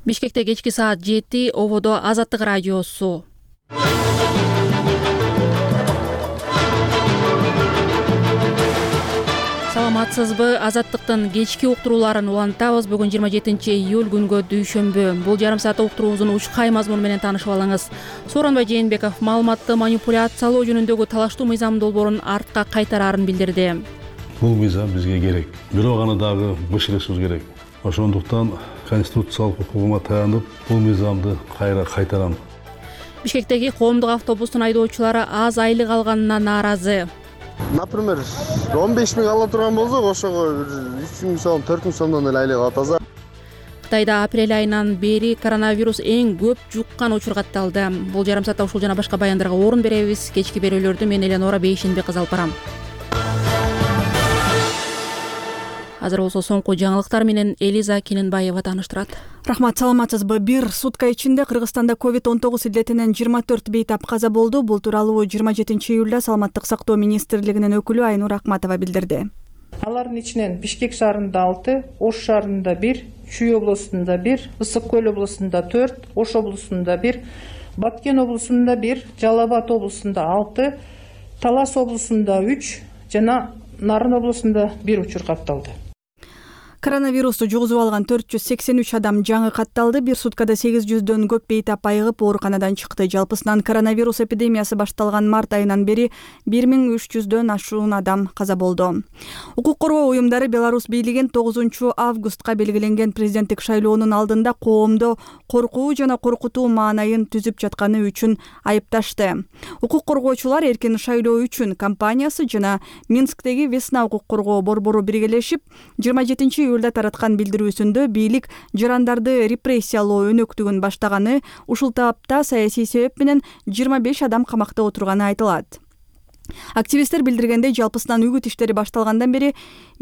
Бишкекте кечки саат 7 ободо Азаттык радиосу. Саламатсызбы? Азаттыктын кечки уктурууларын улантабыз. Бүгүн 27-июль күнгө дүйшөмбү. Бул жарым саат уктуруубуздун учкай мазмуну менен таанышып алыңыз. Сооронбай Жээнбеков маалыматты манипуляциялоо жөнүндөгү талаштуу мыйзам долбоорун артка кайтарарын билдирди. Бул мыйзам бизге керек. Бирок аны дагы бышырышыбыз керек. Ошондуктан конституциялык укугума таянып, бул мыйзамды кайтарам. Бишкектеги коомдук автобустун айдоочулары аз айлык алганына нааразы. Например, 15 миң ала турган болсок, ошого 3 миң сом, 4 миң сомдон эле айлык алат аза. Кытайда апрель айынан бери коронавирус эң көп жуккан учур катталды. Бул жарым саатта ушул жана башка баяндарга орун беребиз. Кечки берүүлөрдү мен Эленора Бейшенбек кызы алып барам. Азыр болсо соңку жаңылыктар менен Элиза Кененбаева тааныштырат. Рахмат, саламатсызбы? Бир сутка ичинде Кыргызстанда COVID-19 илдетинен 24 бейтап каза болду. Бул тууралуу 27-июлда Саламаттык сактоо министрлигинин өкүлү Айнур Акматова билдирди. Алардын ичинен Бишкек шаарында 6, Ош шаарында 1, Чүй облусунда 1, Ысык көл облусунда 4, Ош облусунда 1, Баткен облусунда 1, Жалал Абад облусунда 6, Талас облусунда 3 жана Нарын облусунда 1 учур катталды. Коронавирусту жугузуп алган 483 адам жаңы катталды. Бир суткада 800дөн көп бейтап айыгып ооруканадан чыкты. Жалпысынан коронавирус эпидемиясы башталган март айынан бери 1300дөн ашуун адам каза болду. Укук коргоо уюмдары Беларусь бийлигин 9-августка белгиленген президенттик шайлоонун алдында коомдо коркуу жана коркутуу маанайын түзүп жатканы үчүн айыпташты. Укук коргоочулар эркин шайлоо үчүн компаниясы жана Минсктеги Весна укук коргоо борбору биргелешип 27 июлда тараткан билдирүүсүндө бийлик жарандарды репрессиялоо өнөктүгүн баштаганы, ушул таапта саясий себеп менен 25 адам камакта отурганы айтылат. Активисттер билдиргендей, жалпысынан үгүт иштери башталгандан бери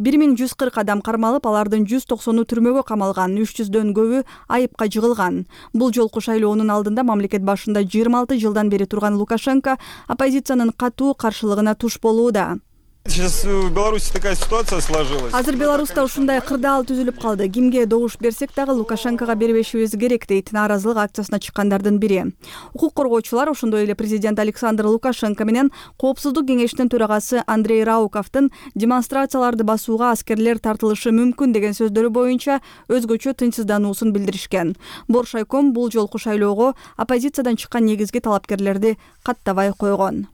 1140 адам кармалып, алардын 190-у түрмөгө камалган, 300дөн көбү айыпка жыгылган. Бул жолку шайлоонун алдында мамлекет башында 26 жылдан бери турган Лукашенко оппозициянын катуу каршылыгына туш болууда. Сейчас в Беларуси такая ситуация сложилась. Азыр Беларуста ушундай кырдаал түзүлүп калды. Кимге добуш берсек дагы Лукашенкого бербешибиз керек, дейт нааразылык акциясына чыккандардын бири. Укук коргоочулар ошондой эле президент Александр Лукашенко менен Коопсуздук кеңешинин төрагасы Андрей Рауковдун демонстрацияларды басууга аскерлер тартылышы мүмкүн деген сөздөрү боюнча өзгөчө тынчсыздануусун билдиришкен. Боршайком бул жолку шайлоого оппозициядан чыккан негизги талапкерлерди каттабай койгон.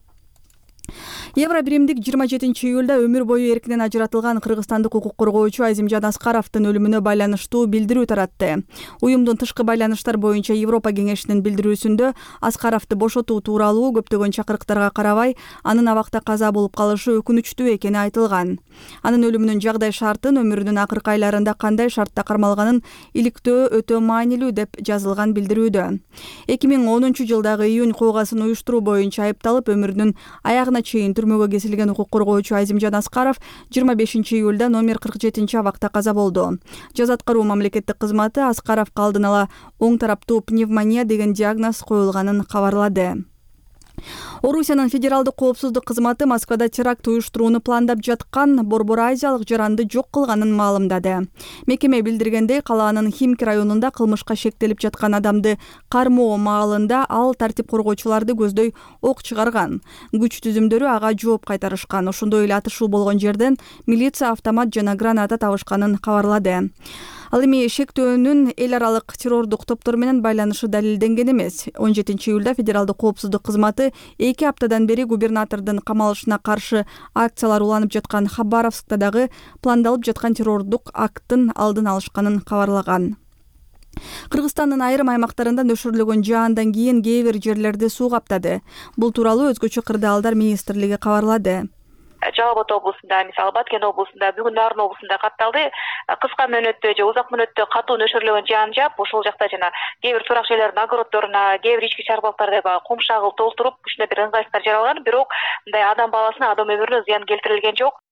Евробиримдик 27 июлда өмүр бою эркинен ажыратылган кыргызстандык укук коргоочу Азимжан Аскаровдун өлүмүнө байланыштуу билдирүү таратты. Уюмдун тышкы байланыштар боюнча Европа кеңешинин билдирүүсүндө Аскаровду бошотуу тууралуу көптөгөн чакырыктарга карабай, анын абакта каза болуп калышы өкүнүчтүү экени айтылган. Анын өлүмүнүн жагдай шартын өмүрүнүн акыркы айларында кандай шартта кармалганын иликтөө өтө маанилүү деп жазылган билдирүүдө. 2010 жылдагы июнь куугасын уюштуруу боюнча айыпталып, өмүрүнүн аягына чейин түрмөгө кесилген укук коргоочу Азимжан Аскаров 25 июлда номер 47 абакта каза болду. Жаза аткаруу мамлекеттик кызматы Аскаровго алдын ала оң тараптуу пневмония деген диагноз коюлганын кабарлады. Орусиянын федералдык коопсуздук кызматы Москвада теракт уюштурууну пландап жаткан Борбор Азиялык жаранды жок кылганын маалымдады. Мекеме билдиргендей, калаанын Химки районунда кылмышка шектелип жаткан адамды кармоо маалында ал тартип коргоочуларды көздөй ок чыгарган. Күч түзүмдөрү ага жооп кайтарышкан. Ошондой эле атышуу болгон жерден милиция автомат жана граната табышканын кабарлады. Ал эми шектөөнүн эл аралык террордук топтор менен байланышы далилденген эмес. 17 июлда федералдык коопсуздук кызматы 2 аптадан бери губернатордун камалышына каршы акциялар уланып жаткан Хабаровскта дагы пландалып жаткан террордук акттын алдын алышканын кабарлаган. Кыргызстандын айрым аймактарында нөшөрлөгөн жаандан кийин кээ бир жерлерди суу каптады. Бул тууралуу өзгөчө кырдаалдар министрлиги кабарлады. Жалал Абад облусунда, мисалы Баткен облусунда, бүгүн Нарын облусунда катталды. Кыска мөөнөттө же узак мөөнөттө катуу нөшөрлөгөн жаан жаап, ошол жакта жана кээ бир турак жерлердин огороддоруна, кээ бир ички чарбалыктарды кум шагыл толтуруп, ушундай бир ыңгайсыздар жаралган, бирок мындай адам баласына, адам өмүрүнө зыян келтирилген жок.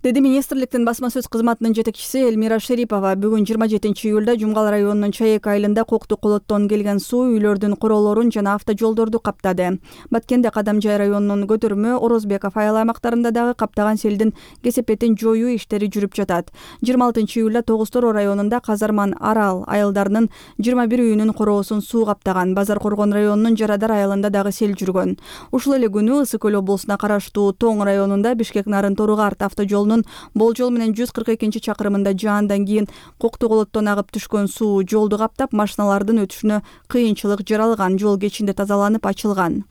деди министрликтин басма сөз кызматынын жетекчиси Элмира Шерипова. Бүгүн 27-июлда Жумгал районунун Чаек айылында Кокту Колоттон келген суу үйлөрдүн короолорун жана автожолдорду каптады. Баткенде Кадамжай районунун Көтөрмө, Орозбеков айыл аймактарында дагы каптаган селдин кесепетин жоюу иштери жүрүп жатат. 26-июлда Тогуз-Тороо районунда Казарман, Арал айылдарынын 21 үйүнүн короосун суу каптаган. Базар Коргон районунун Жарадар айылында дагы сел жүргөн. Ушул эле күнү Ысык Көл облусуна караштуу Тоң районунда Бишкек-Нарын Торугарт автожолунун болжол менен 142-чакырымында жаандан кийин Кокту Колоттон агып түшкөн суу жолду каптап, машиналардын өтүшүнө кыйынчылык жаралган. Жол кечинде тазаланып ачылган.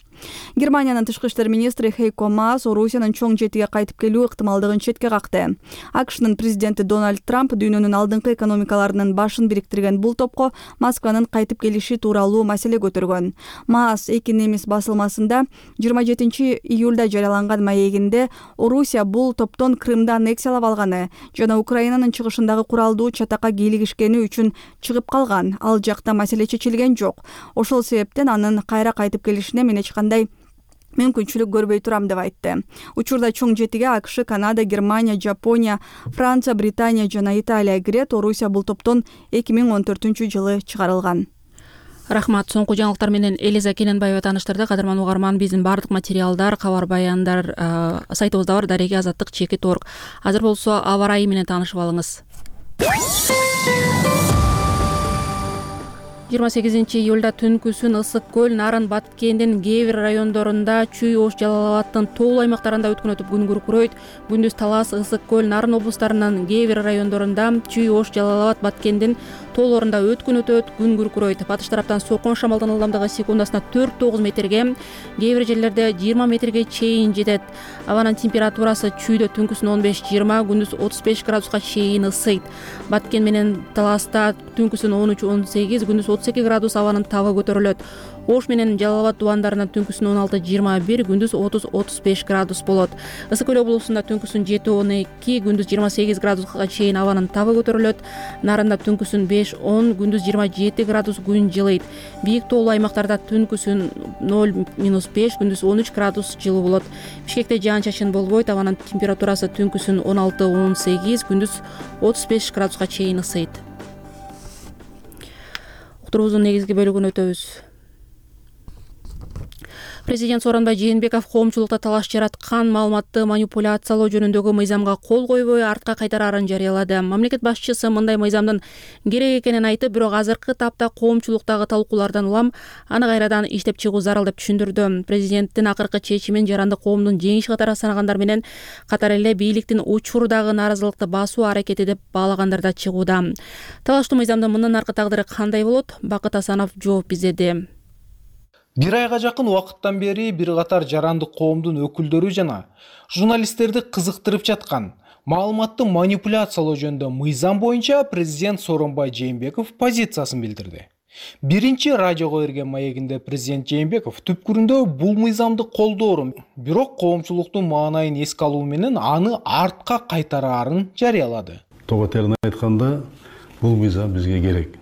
Германиянын тышкы иштер министри Хейко Маас Орусиянын чоң жетиге кайтып келүү ыктымалдыгын четке какты. АКШнын президенти Дональд Трамп дүйнөнүн алдыңкы экономикаларынын башын бириктирген бул топко Москванын кайтып келиши тууралуу маселе көтөргөн. Маас эки немис басылмасында 27-июлда жарыяланган маегинде Орусия бул топтон Крымды аннексиялап алганы жана Украинанын чыгышындагы куралдуу чатакка кийлигишкени үчүн чыгып калган. Ал жакта маселе чечилген жок. Ошол себептен анын кайра кайтып келишине мен эч кандай мүмкүнчүлүк көрбөй турам деп айтты. Учурда чоң жетиге АКШ, Канада, Германия, Жапония, Франция, Британия жана Италия кирет. Орусия бул топтон 2014-жылы чыгарылган. Рахмат. Соңку жаңылыктар менен Элиза Кененбаева тааныштырды. Кадырман угарман, биздин бардык материалдар, кабар баяндар сайтыбызда бар, Дареги Азаттык _. Азыр болсо аба ырайы менен таанышып алыңыз. 28-июлда түнкүсүн Ысык Көл, Нарын, Баткендин кээ бир райондорунда, Чүй, Ош, Жалал-Абадтын тоолуу аймактарында өткөн өтүп күн күркүрөйт. Күндүз Талас, Ысык Көл, Нарын облустарынын кээ бир райондорунда, Чүй, Ош, Жалал-Абад, Баткендин тоолорунда өткөн өтөт, күн күркүрөйт. Батыш тараптан соккон шамалдын ылдамдыгы секундасына 4-9 метрге, кээ бир жерлерде 20 метрге чейин жетет. Абанын температурасы Чүйдө түнкүсүн 15-20, күндүз 35 градуска чейин ысыйт. Баткен менен Таласта түнкүсүн 13-18, күндүз 32 градус абанын табы көтөрүлөт. Ош менен Жалал-Абад тубандарынан түнкүсүн 16-21, күндүз 30-35 градус болот. Ысык Көл облусунда түнкүсүн 7-12, күндүз 28 градуска чейин абанын табы көтөрүлөт. Нарында түнкүсүн 5-10, күндүз 27 градус күн жылыйт. Бийик тоолуу аймактарда түнкүсүн 0-5, күндүз 13 градус жылуу болот. Бишкекте жаан-чачын болбойт, абанын температурасы түнкүсүн 16-18, күндүз 35 градуска чейин ысыйт. Уктуруубуздун негизги бөлүгүнө өтөбүз. Президент Сооронбай Жээнбеков коомчулукта талаш жараткан маалыматты манипуляциялоо жөнүндөгү мыйзамга кол койбой артка кайтараарын жарыялады. Мамлекет башчысы мындай мыйзамдын керек экенин айтып, бирок азыркы тапта коомчулуктагы талкуулардан улам аны кайрадан иштеп чыгуу зарыл деп түшүндүрдү. Президенттин акыркы чечимин жаранды коомдун жеңиш катары санагандар менен катар эле бийликтин учурдагы нааразылыкты басуу аракети деп баалагандар да чыгууда. Талаштуу мыйзамдын мындан аркы тагдыры кандай болот? Бакыт Асанов жооп издеди. Бир айга жакын убакыттан бери бир катар жарандык коомдун өкүлдөрү жана журналисттерди кызыктырып жаткан маалыматты манипуляциялоо жөнүндө мыйзам боюнча президент Сооронбай Жээнбеков позициясын билдирди. Биринчи радиого берген маегинде президент Жээнбеков түпкүрүндө бул мыйзамды колдоорун, бирок коомчулуктун маанайын эске алуу менен аны артка кайтараарын жарыялады. Тоо терин айтканда, бул мыйзам бизге керек.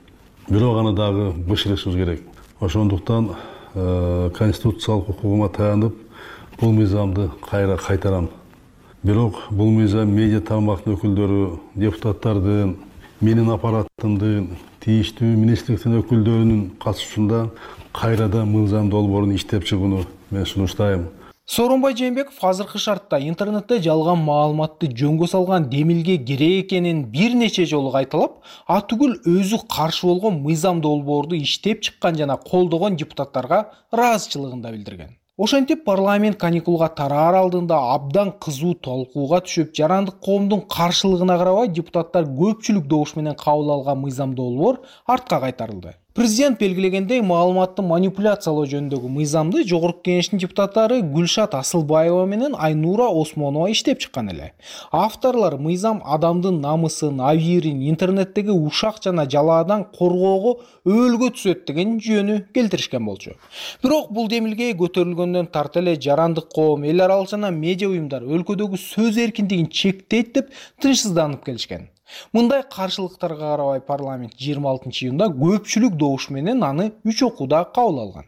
Бирок аны дагы бышырышыбыз керек. Ошондуктан конституциялык укугума таянып, бул мыйзамды кайра кайтарам. Бирок бул мыйзам медиа тармактын өкүлдөрү, депутаттардын, менин аппаратымдын, тийиштүү министрликтин өкүлдөрүнүн катышуусунда кайрадан мыйзам долбоорун иштеп чыгууну мен сунуштайм. Сооронбай Жээнбеков азыркы шартта интернетте жалган маалыматты жөнгө салган Демилге керек экенин бир нече жолу кайталап, атүгүл өзү каршы болгон мыйзам долбоорду иштеп чыккан жана колдогон депутаттарга ыраазычылыгын да билдирген. Ошентип парламент каникулга тараар алдында абдан кызуу талкууга түшүп, жарандык коомдун каршылыгына карабай депутаттар көпчүлүк добуш менен кабыл алган мыйзам долбоор артка кайтарылды. Президент белгилегендей, маалыматты манипуляциялоо жөнүндөгү мыйзамды Жогорку Кеңештин депутаттары Гүлшат Асылбаева менен Айнура Осмонова иштеп чыккан эле. Авторлор мыйзам адамдын намысын, абийирин интернеттеги ушак жана жалаадан коргоого өөлгө түзөт деген жүйөнү келтиришкен болчу. Бирок бул демилге көтөрүлгөндөн тарта эле жарандык коом, эл аралык жана медиа уюмдар өлкөдөгү сөз эркиндигин чектейт деп тынчсызданып келишкен. Мындай каршылыктарга карабай парламент 26 июнда көпчүлүк добуш менен аны 3 окууда кабыл алган.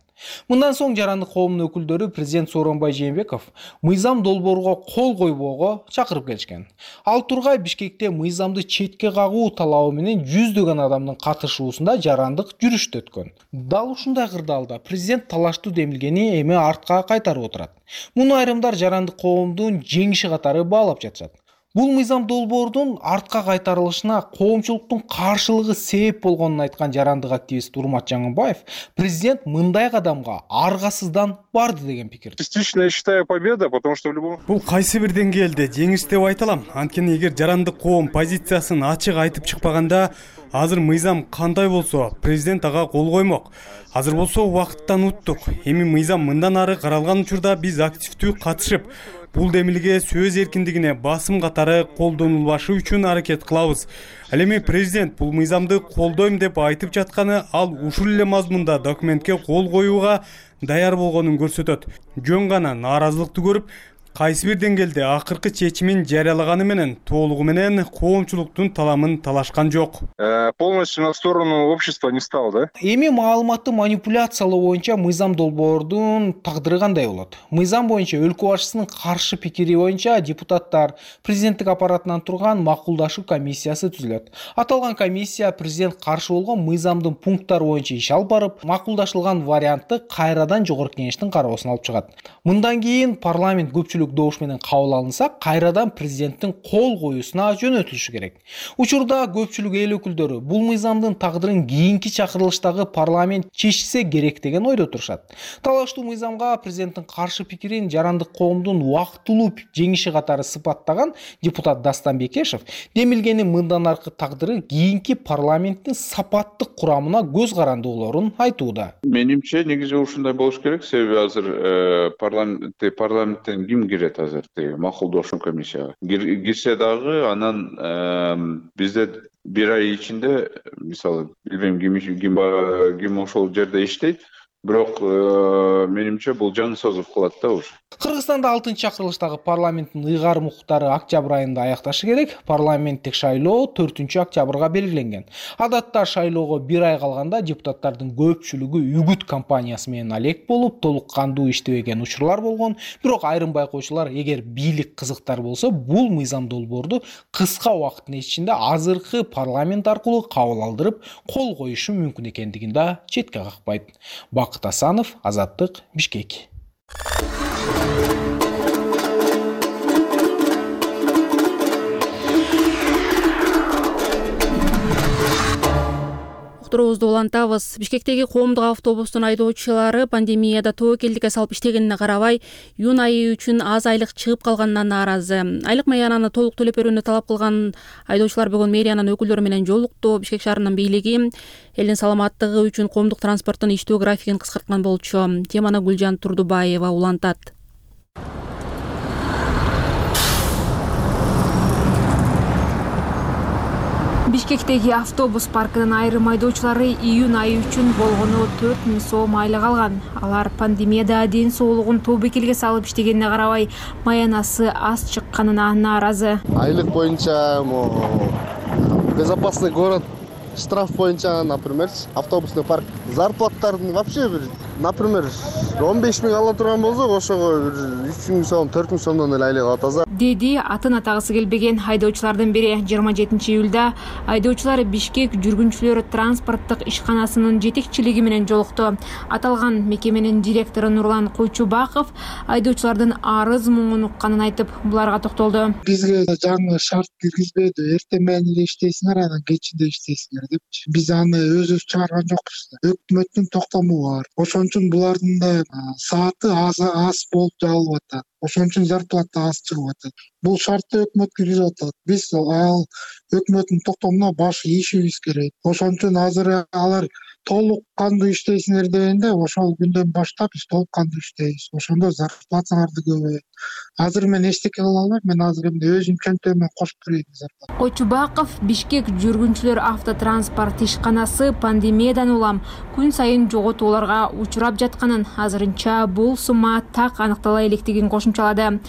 Мындан соң жарандык коомдун өкүлдөрү президент Сооронбай Жээнбеков мыйзам долбооруга кол койбоого чакырып келишкен. Ал тургай Бишкекте мыйзамды четке кагуу талабы менен жүздөгөн адамдын катышуусунда жарандык жүрүштө өткөн. Дал ушундай кырдаалда президент талаштуу демилгени эми артка кайтарып отурат. Муну айрымдар жарандык коомдун жеңиши катары баалап жатышат. Бул мыйзам долбоордун артка кайтарылышына коомчулуктун каршылыгы себеп болгонун айткан жарандык активист Урмат Жаңыбаев президент мындай кадамга аргасыздан барды деген пикирде. Частично я считаю победа, потому что в любом... Бул кайсы бир деңгээлде жеңиш деп айта алам. Анткени эгер жарандык коом позициясын ачык айтып чыкпаганда, азыр мыйзам кандай болсо, президент ага кол коймок. Азыр болсо убакыттан уттук. Эми мыйзам мындан ары каралган учурда биз активдүү катышып, бул демилге сөз эркиндигине басым катары колдонулбашы үчүн аракет кылабыз. Ал эми президент бул мыйзамды колдойм деп айтып жатканы ал ушул эле мазмунда документке кол коюуга даяр болгонун көрсөтөт. Жөн гана нааразылыкты көрүп, кайсы бир деңгээлде акыркы чечимин жарыялаганы менен толугу менен коомчулуктун таламын талашкан жок. Полностью на сторону общества не стал, да? Эми маалыматты манипуляциялоо боюнча мыйзам долбоордун тагдыры кандай болот? Мыйзам боюнча өлкө башчысынын каршы пикири боюнча депутаттар президенттик аппаратынан турган макулдашуу комиссиясы түзүлөт. Аталган комиссия президент каршы болгон мыйзамдын пункттары боюнча иш алып барып, макулдашылган вариантты кайрадан жогорку кеңештин кароосуна алып чыгат. Мындан кийин парламент көпчүлүк добуш менен кабыл алынса, кайрадан президенттин кол коюусуна жөнөтүлүшү керек. Учурда көпчүлүк эл өкүлдөрү бул мыйзамдын тагдырын кийинки чакырылыштагы парламент чечсе керек деген ойдо турушат. Талаштуу мыйзамга президенттин каршы пикирин жарандык коомдун убактылуу жеңиши катары сыпаттаган депутат Дастан Бекешев демилгенин мындан аркы тагдыры кийинки парламенттин сапаттык курамына көз каранды болорун айтууда. Менимче негизи ушундай болуш керек, себеби азыр парламенттен ким кирет азыр макулдашуу комиссияга. Кирсе дагы анан бизде бир ай ичинде, мисалы, билбейм ким ошол жерде иштейт, бирок менимче бул жан созуп калат да уж. Кыргызстанда 6-чакырылыштагы парламенттин ыйгарым укуктары октябрь айында аякташы керек. Парламенттик шайлоо 4-октябрга белгиленген. Адатта шайлоого бир ай калганда депутаттардын көпчүлүгү үгүт кампаниясы менен алек болуп, толук кандуу иштебеген учурлар болгон. Бирок айрым байкоочулар, эгер бийлик кызыктар болсо, бул мыйзам долбоорду кыска убакыттын ичинде азыркы парламент аркылуу кабыл алдырып, кол коюшу мүмкүн экендигин да четке какпайт. Бакыт Асанов, Азаттык, Бишкек. Уктуруубузду улантабыз. Бишкектеги коомдук автобустун айдоочулары пандемияда тобокелдикке салып иштегенине карабай, июнь айы үчүн аз айлык чыгып калганынан нааразы. Айлык маянаны толук төлөп берүүнү талап кылган айдоочулар бүгүн мэриянын өкүлдөрү менен жолукту. Бишкек шаарынын бийлиги элдин саламаттыгы үчүн коомдук транспорттун иштөө графигин кыскарткан болчу. Теманы Гүлжан Турдубаева улантат. Бишкектеги автобус паркынын айрым айдоочулары июнь айы үчүн болгону 4000 сом айлык алган. Алар пандемияда ден соолугун тобокелге салып иштегенине карабай, маянасы аз чыкканына нааразы. Айлык боюнча безопасный город, штраф боюнча, например, автобусный парк зарплаттарын вообще бир, например, 15 000 ала турган болсо, ошого 3000 сом, 4000 сомдон эле айлык алат азыр. Деди атын атагысы келбеген айдоочулардын бири. 27 июлда айдоочулар Бишкек жүргүнчүлөр транспорттук ишканасынын жетекчилиги менен жолукту. Аталган мекеменин директору Нурлан Койчубаков айдоочулардын арыз муңун укканын айтып, буларга токтолду. Бизге жаңы шарт киргизбеди. Эртең менен эле иштейсиңер, анан кечинде иштейсиңер деп. Биз аны өзүбүз чыгарган жокпуз. Өкмөттүн токтому бар. Ошон үчүн булардын да сааты аз болуп жалып атат. Ошон үчүн зарплата аз чыгып атат. Бул шартты өкмөт киргизип атат. Биз ал өкмөттүн токтомуна баш ийишибиз керек. Ошон үчүн азыр алар толук кандуу иштейсиңер дегенде, ошол күндөн баштап биз толук кандуу иштейбиз. Ошондо зарплатаңарды көбөйт. Азыр мен эчтеке кыла албайм, мен азыр эмне өзүм чөнтөгүмө кошуп берейин зарплата. Койчубаков Бишкек жүргүнчүлөр автотранспорт ишканасы пандемиядан улам күн сайын жоготууларга учурап жатканын, азырынча бул сумма так аныктала электигин кошумчалады.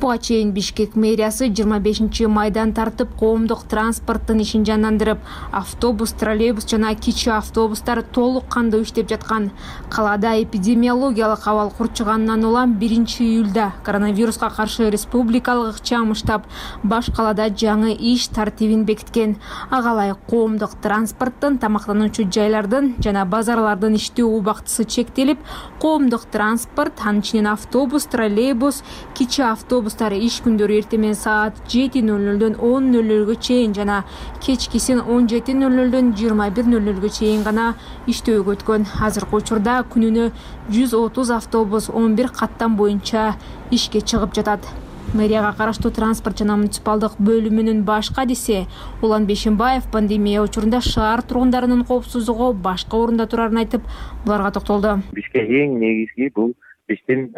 Буга чейин Бишкек мэриясы 25 майдан тартып коомдук транспорттун ишин жандандырып, автобус, троллейбус жана кичи автобустар толук кандуу иштеп жаткан. Калаада эпидемиологиялык абал курчугандан улам 1-июлда коронавируска каршы республикалык ыкчам штаб баш калаада жаңы иш тартибин бекиткен. Ага ылайык коомдук транспорттун, тамактануучу жайлардын жана базарлардын иштөө убактысы чектелип, коомдук транспорт, анын ичинен автобус, троллейбус, кичи автобустар иш күндөрү эртемен саат 7:00дөн 10:00га чейин жана кечкисин 17:00дөн 21:00га чейин гана иштөөгө өткөн. Азыркы учурда күнүнө 130 автобус 11 каттам боюнча ишке чыгып жатат. Мэрияга караштуу транспорт жана муниципалдык бөлүмүнүн баш кадиси Улан Бешимбаев пандемия учурунда шаар тургундарынын коопсуздугу башка орунда турарын айтып, буларга токтолду. Бизге эң негизги бул биздин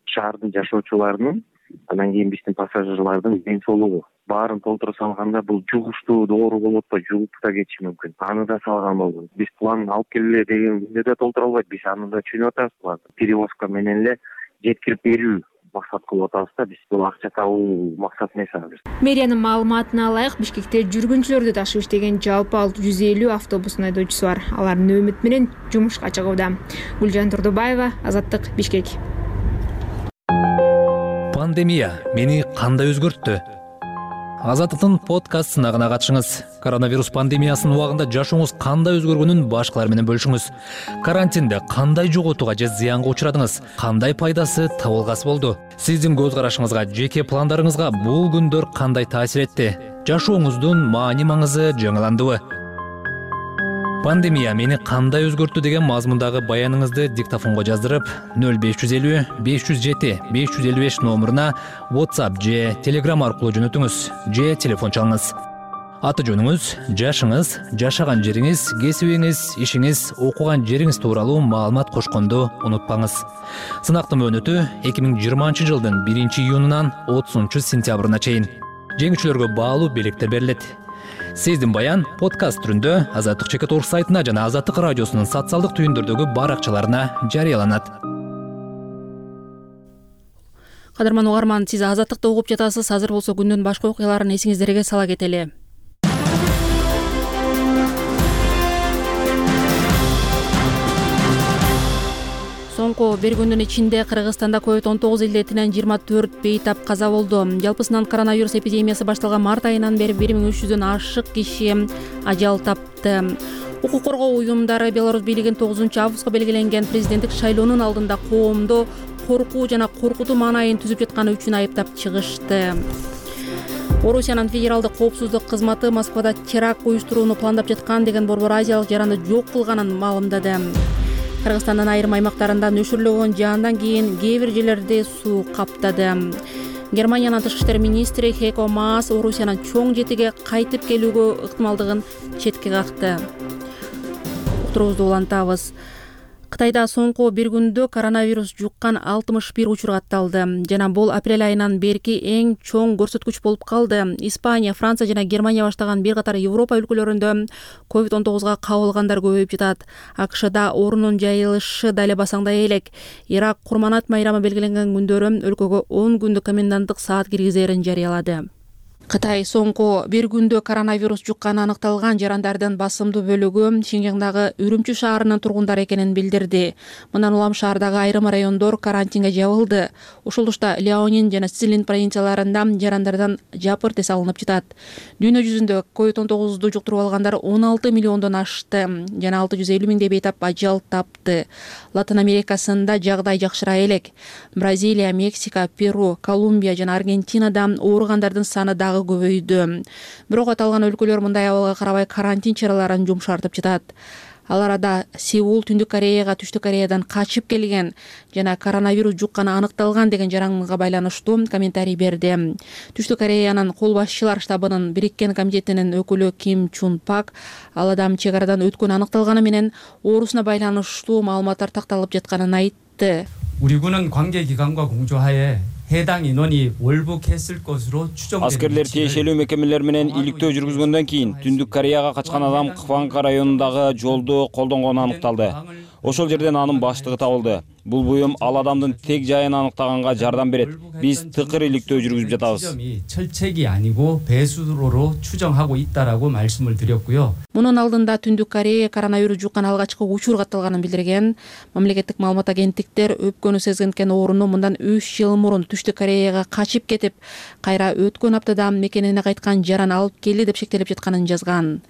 шаардын жашоочуларынын, андан кийин биздин пассажирлардын ден соолугу. Баарын толтура салганда бул жугуштуу доору болуп атпайбы, жугуп да кетиши мүмкүн. Аны да салган болдум. Биз план алып келеле деген күндө да толтура албайт. Биз аны да түшүнүп атабыз. Перевозка менен эле жеткирип берүү максат кылып атабыз да, биз бул акча табуу максат эмес азыр. Мэриянын маалыматына ылайык, Бишкекте жүргүнчүлөрдү ташып иштеген жалпы 150 автобустун айдоочусу бар. Алар нөөмөт менен жумушка чыгууда. Гүлжан Турдубаева, Азаттык, Бишкек. Пандемия мени кандай өзгөрттү? Азаттыктын подкаст сынагына катышыңыз. Коронавирус пандемиясынын убагында жашооңуз кандай өзгөргөнүн башкалар менен бөлүшүңүз. Карантинде кандай жоготууга же зыянга учурадыңыз? Кандай пайдасы, табылгасы болду? Сиздин көз карашыңызга, жеке пландарыңызга бул күндөр кандай таасир этти? Жашооңуздун маани-маңызы жаңыландыбы? Пандемия мени кандай өзгөрттү деген мазмундагы баяныңызды диктофонго жаздырып 0550 507 555 номуруна WhatsApp же Telegram аркылуу жөнөтүңүз же телефон чалыңыз. Аты жөнүңүз, жашыңыз, жашаган жериңиз, кесибиңиз, ишиңиз, окуган жериңиз тууралуу маалымат кошконду унутпаңыз. Сынактын мөөнөтү 2020 жылдын 1-июнунан 30-сентябрына чейин. Жеңүүчүлөргө баалуу белектер берилет. Сиздин баян подкаст түрүндө Азаттык.org сайтына жана Азаттык радиосунун социалдык түйүндөрдөгү баракчаларына жарыяланат. Кадырман угарман, сиз Азаттыкты угуп жатасыз. Азыр болсо күндүн башка окуяларын эсиңиздерге сала кетели. Соңку бир күндүн ичинде Кыргызстанда COVID-19 илдетинен 24 бейтап каза болду. Жалпысынан коронавирус эпидемиясы башталган март айынан бери 1300дөн ашык киши ажал тапты. Укук коргоо уюмдары Беларусь бийлигин 9-августка белгиленген президенттик шайлоонун алдында коомдо коркуу жана коркутуу маанайын түзүп жатканы үчүн айыптап чыгышты. Орусиянын федералдык коопсуздук кызматы Москвада теракт уюштурууну пландап жаткан деген борбор азиялык жаранды жок кылганын маалымдады. Кыргызстандын айрым аймактарында нөшүрлөгөн жаандан кийин кээ бир жерлерди суу каптады. Германиянын тышкы иштер министри Хейко Маас Орусиянын чоң жетиге кайтып келүүгө ыктымалдыгын четке какты. Уктуруубузду улантабыз. Кытайда соңку бир күндө коронавирус жуккан 61 учур катталды жана бул апрель айынан берки эң чоң көрсөткүч болуп калды. Испания, Франция жана Германия баштаган бир катар Европа өлкөлөрүндө COVID-19га кабылгандар көбөйүп жатат. АКШда оорунун жайылышы да эле басаңдай элек. Ирак Курманат майрамы белгиленген күндөрү өлкөгө 10 күндүк коменданттык саат киргизерин жарыялады. Кытай соңку бир күндө коронавирус жукканы аныкталган жарандардын басымдуу бөлүгү Шинжаңдагы Үрүмчү шаарынын тургундары экенин билдирди. Мындан улам шаардагы айрым райондор карантинге жабылды. Ушул тушта Леонин жана Цзилин провинцияларында жарандардан жапыр тез алынып жатат. Дүйнө жүзүндө COVID-19 жуктуруп алгандар 16 миллиондон ашты жана 650 миңдей бейтап ажал тапты. Латын Америкасында жагдай жакшырай элек. Бразилия, Мексика, Перу, Колумбия жана Аргентинада ооругандардын саны дагы көбөйдү. Бирок аталган өлкөлөр мындай абалга карабай карантин чараларын жумшартып жатат. Ал арада Сеул Түндүк Кореяга Түштүк Кореядан качып келген жана коронавирус жукканы аныкталган деген жаранга байланыштуу комментарий берди. Түштүк Кореянын кол башчылар штабынын бириккен комитетинин өкүлү Ким Чун Пак ал адам чек арадан өткөнү аныкталганы менен оорусуна байланыштуу маалыматтар такталып жатканын айтты. 우리군은 관계 기관과 공조하에 해당 인원이 월북했을 것으로 추정됩니다. Аскерлер тиешелүү мекемелер менен иликтөө жүргүзгөндөн кийин Түндүк Кореяга качкан адам Кванга районундагы жолду колдонгону аныкталды. Ошол жерден анын баштыгы табылды. Бул буюм ал адамдын тег жайын аныктаганга жардам берет. Биз тыкыр иликтөө жүргүзүп жатабыз. 철책이 아니고 배수로로 추정하고 있다라고 말씀을 드렸고요. Мунун алдында Түндүк Корея коронавирус жуккан алгачкы учур катталганын билдирген. Мамлекеттик маалымат агенттиктер өпкөнү сезгенкен ооруну мындан 3 жыл мурун Түштүк Кореяга качып кетип, кайра өткөн аптада мекенине кайткан жаран алып келди деп шектелип жатканын жазган.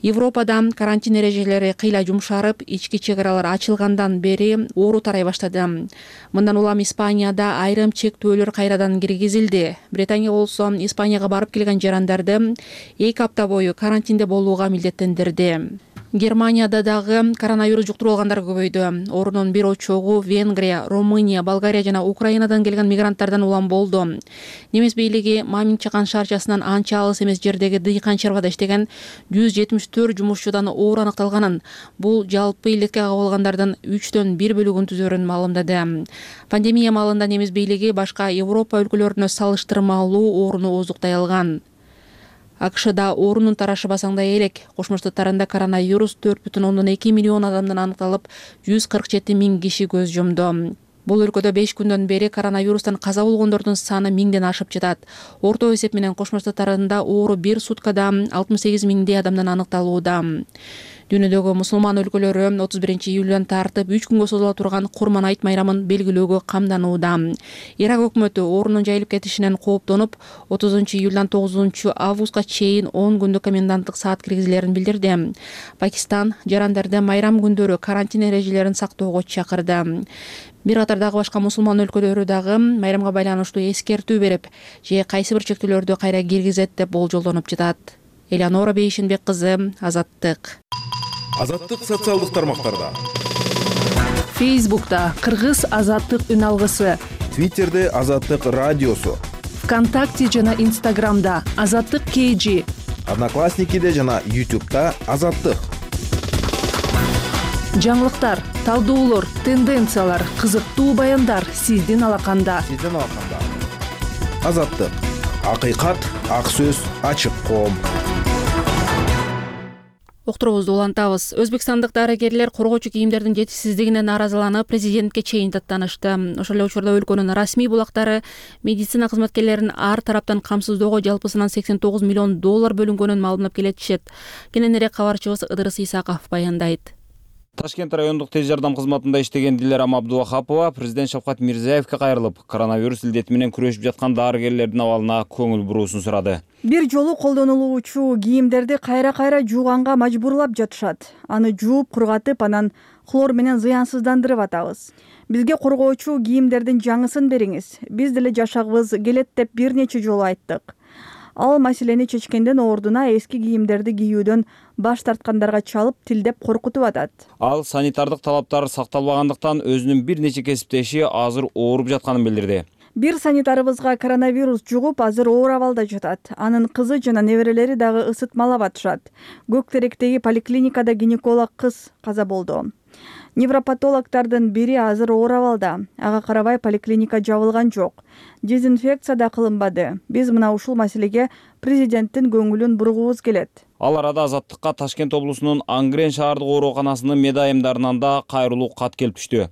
Европада карантин эрежелери кыйла жумшарып, ички чек аралар ачылгандан бери оору тарай баштады. Мындан улам Испанияда айрым чектөөлөр кайрадан киргизилди. Британия болсо Испанияга барып келген жарандарды 2 апта бою карантинде болууга милдеттендирди. Германияда дагы коронавирус жуктуруп алгандар көбөйдү. Оорунун бир очогу Венгрия, Румыния, Болгария жана Украинадан келген мигранттардан улам болду. Немис бийлиги Мамин чакан шаарчасынан анча алыс эмес жердеги дыйкан чарбада иштеген 174 жумушчудан оору аныкталганын, бул жалпы илдетке кабылгандардын 3төн 1 бөлүгүн түзөрүн маалымдады. Пандемия маалында немис бийлиги башка Европа өлкөлөрүнө салыштырмалуу ооруну оозуктай алган. АКШда оорунун тарашы басаңдай элек. Кошмо Штаттарында коронавирус 4,2 миллион адамдан аныкталып, 147 миң киши көз жумду. Бул өлкөдө 5 күндөн бери коронавирустан каза болгондордун саны 1000ден ашып жатат. Орто эсеп менен Кошмо Штаттарында оору бир суткада 68 миңдей адамдан аныкталууда. Дүйнөдөгү мусулман өлкөлөрү 31-июлдан тартып 3 күнгө созула турган Курман айт майрамын белгилөөгө камданууда. Ирак өкмөтү оорунун жайылып кетишинен кооптонуп, 30-июлдан 9-августка чейин 10 күндүк коменданттык саат киргизилерин билдирди. Пакистан жарандарды майрам күндөрү карантин эрежелерин сактоого чакырды. Бир катардагы башка мусулман өлкөлөрү дагы майрамга байланыштуу эскертүү берип, же кайсы бир чектөөлөрдү кайра киргизет деп болжолдонуп жатат. Элеонора Бейшенбек кызы, Азаттык. Азаттык социалдык тармактарда. Фейсбукта Кыргыз Азаттык үн алгысы. Твиттерде Азаттык радиосу. ВКонтакте жана Инстаграмда Азаттык KG. Одноклассникиде жана YouTube'да Азаттык. Жаңылыктар, талдоолор, тенденциялар, кызыктуу баяндар сиздин алаканда. Азаттык. Акыйкат, ак сөз, ачык коом. Уктуруубузду улантабыз. Өзбекстандык дарыгерлер коргоочу кийимдердин жетишсиздигине нааразыланып, президентке чейин даттанышты. Ошол эле учурда өлкөнүн расмий булактары медицина кызматкерлерин ар тараптан камсыздоого жалпысынан $89 миллион бөлүнгөнүн маалымдап келетишет. Кененирээк кабарчыбыз Ыдырыс Исаков баяндайт. Ташкент райондук тез жардам кызматында иштеген Дилерам Абдувахапова президент Шавкат Мирзиевке кайрылып, коронавирус илдети менен күрөшүп жаткан дарыгерлердин абалына көңүл буруусун сурады. Бир жолу колдонулуучу кийимдерди кайра жууганга мажбурлап жатышат. Аны жууп, кургатып, анан хлор менен зыянсыздандырып атабыз. Бизге коргоочу кийимдердин жаңысын бериңиз. Биз деле жашагыбыз келет деп бир нече жолу айттык. Ал маселени чечкенден ордуна эски кийимдерди кийүүдөн баш тарткандарга чалып, тилдеп коркутуп атат. Ал санитардык талаптар сакталбагандыктан өзүнүн бир нече кесиптеши азыр ооруп жатканын билдирди. Бир санитарыбызга коронавирус жугуп, азыр оор абалда жатат. Анын кызы жана неберелери дагы ысытмалап атышат. Көктеректеги поликлиникада гинеколог кыз каза болду. Невропатологдордун бири азыр оор абалда. Ага карабай поликлиника жабылган жок. Дезинфекция да кылынбады. Биз мына ушул маселеге президенттин көңүлүн бургубуз келет. Ал арада Азаттыкка Ташкент облусунун Ангрен шаардык ооруканасынын медайымдарынан да кайрылуу кат келип түштү.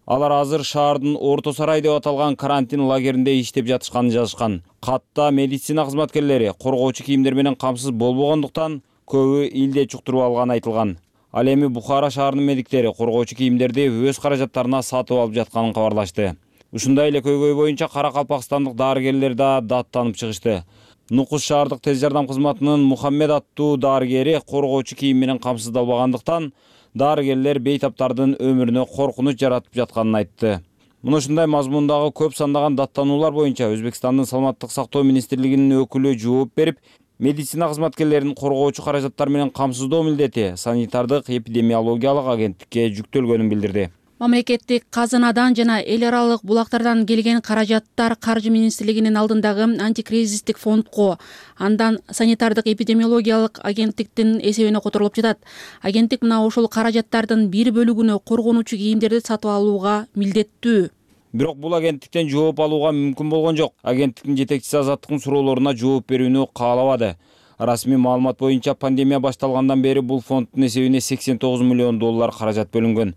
Алар азыр шаардын Орто Сарай деп аталган карантин лагеринде иштеп жатышканын жазышкан. Катта медицина кызматкерлери коргоочу кийимдер менен камсыз болбогондуктан көбү илде чуктуруп алганы айтылган. Ал эми Бухара шаарынын медиктери коргоочу кийимдерди өз каражаттарына сатып алып жатканын кабарлашты. Ушундай эле көйгөй боюнча Каракалпакстандык дарыгерлер да даттанып чыгышты. Нукус шаардык тез жардам кызматынын Мухаммед аттуу дарыгери коргоочу кийим менен камсыздалбагандыктан дарыгерлер бейтаптардын өмүрүнө коркунуч жаратып жатканын айтты. Мына ушундай мазмундагы көп сандаган даттануулар боюнча Өзбекстандын саламаттык сактоо министрлигинин өкүлү жооп берип, медицина кызматкерлерин коргоочу каражаттар менен камсыздоо милдети санитардык эпидемиологиялык агенттикке жүктөлгөнүн билдирди. Мамлекеттик казынадан жана эл аралык булактардан келген каражаттар Каржы министрлигинин алдындагы антикризистик фондко, андан санитардык эпидемиологиялык агенттиктин эсебине которулуп жатат. Агенттик мына ошол каражаттардын бир бөлүгүнө коргонуучу кийимдерди сатып алууга милдеттүү. Бирок бул агенттиктен жооп алууга мүмкүн болгон жок. Агенттиктин жетекчиси Азаттыктын суроолоруна жооп берүүнү каалабады. Расмий маалымат боюнча пандемия башталгандан бери бул фонддун эсебине $89 миллион каражат бөлүнгөн.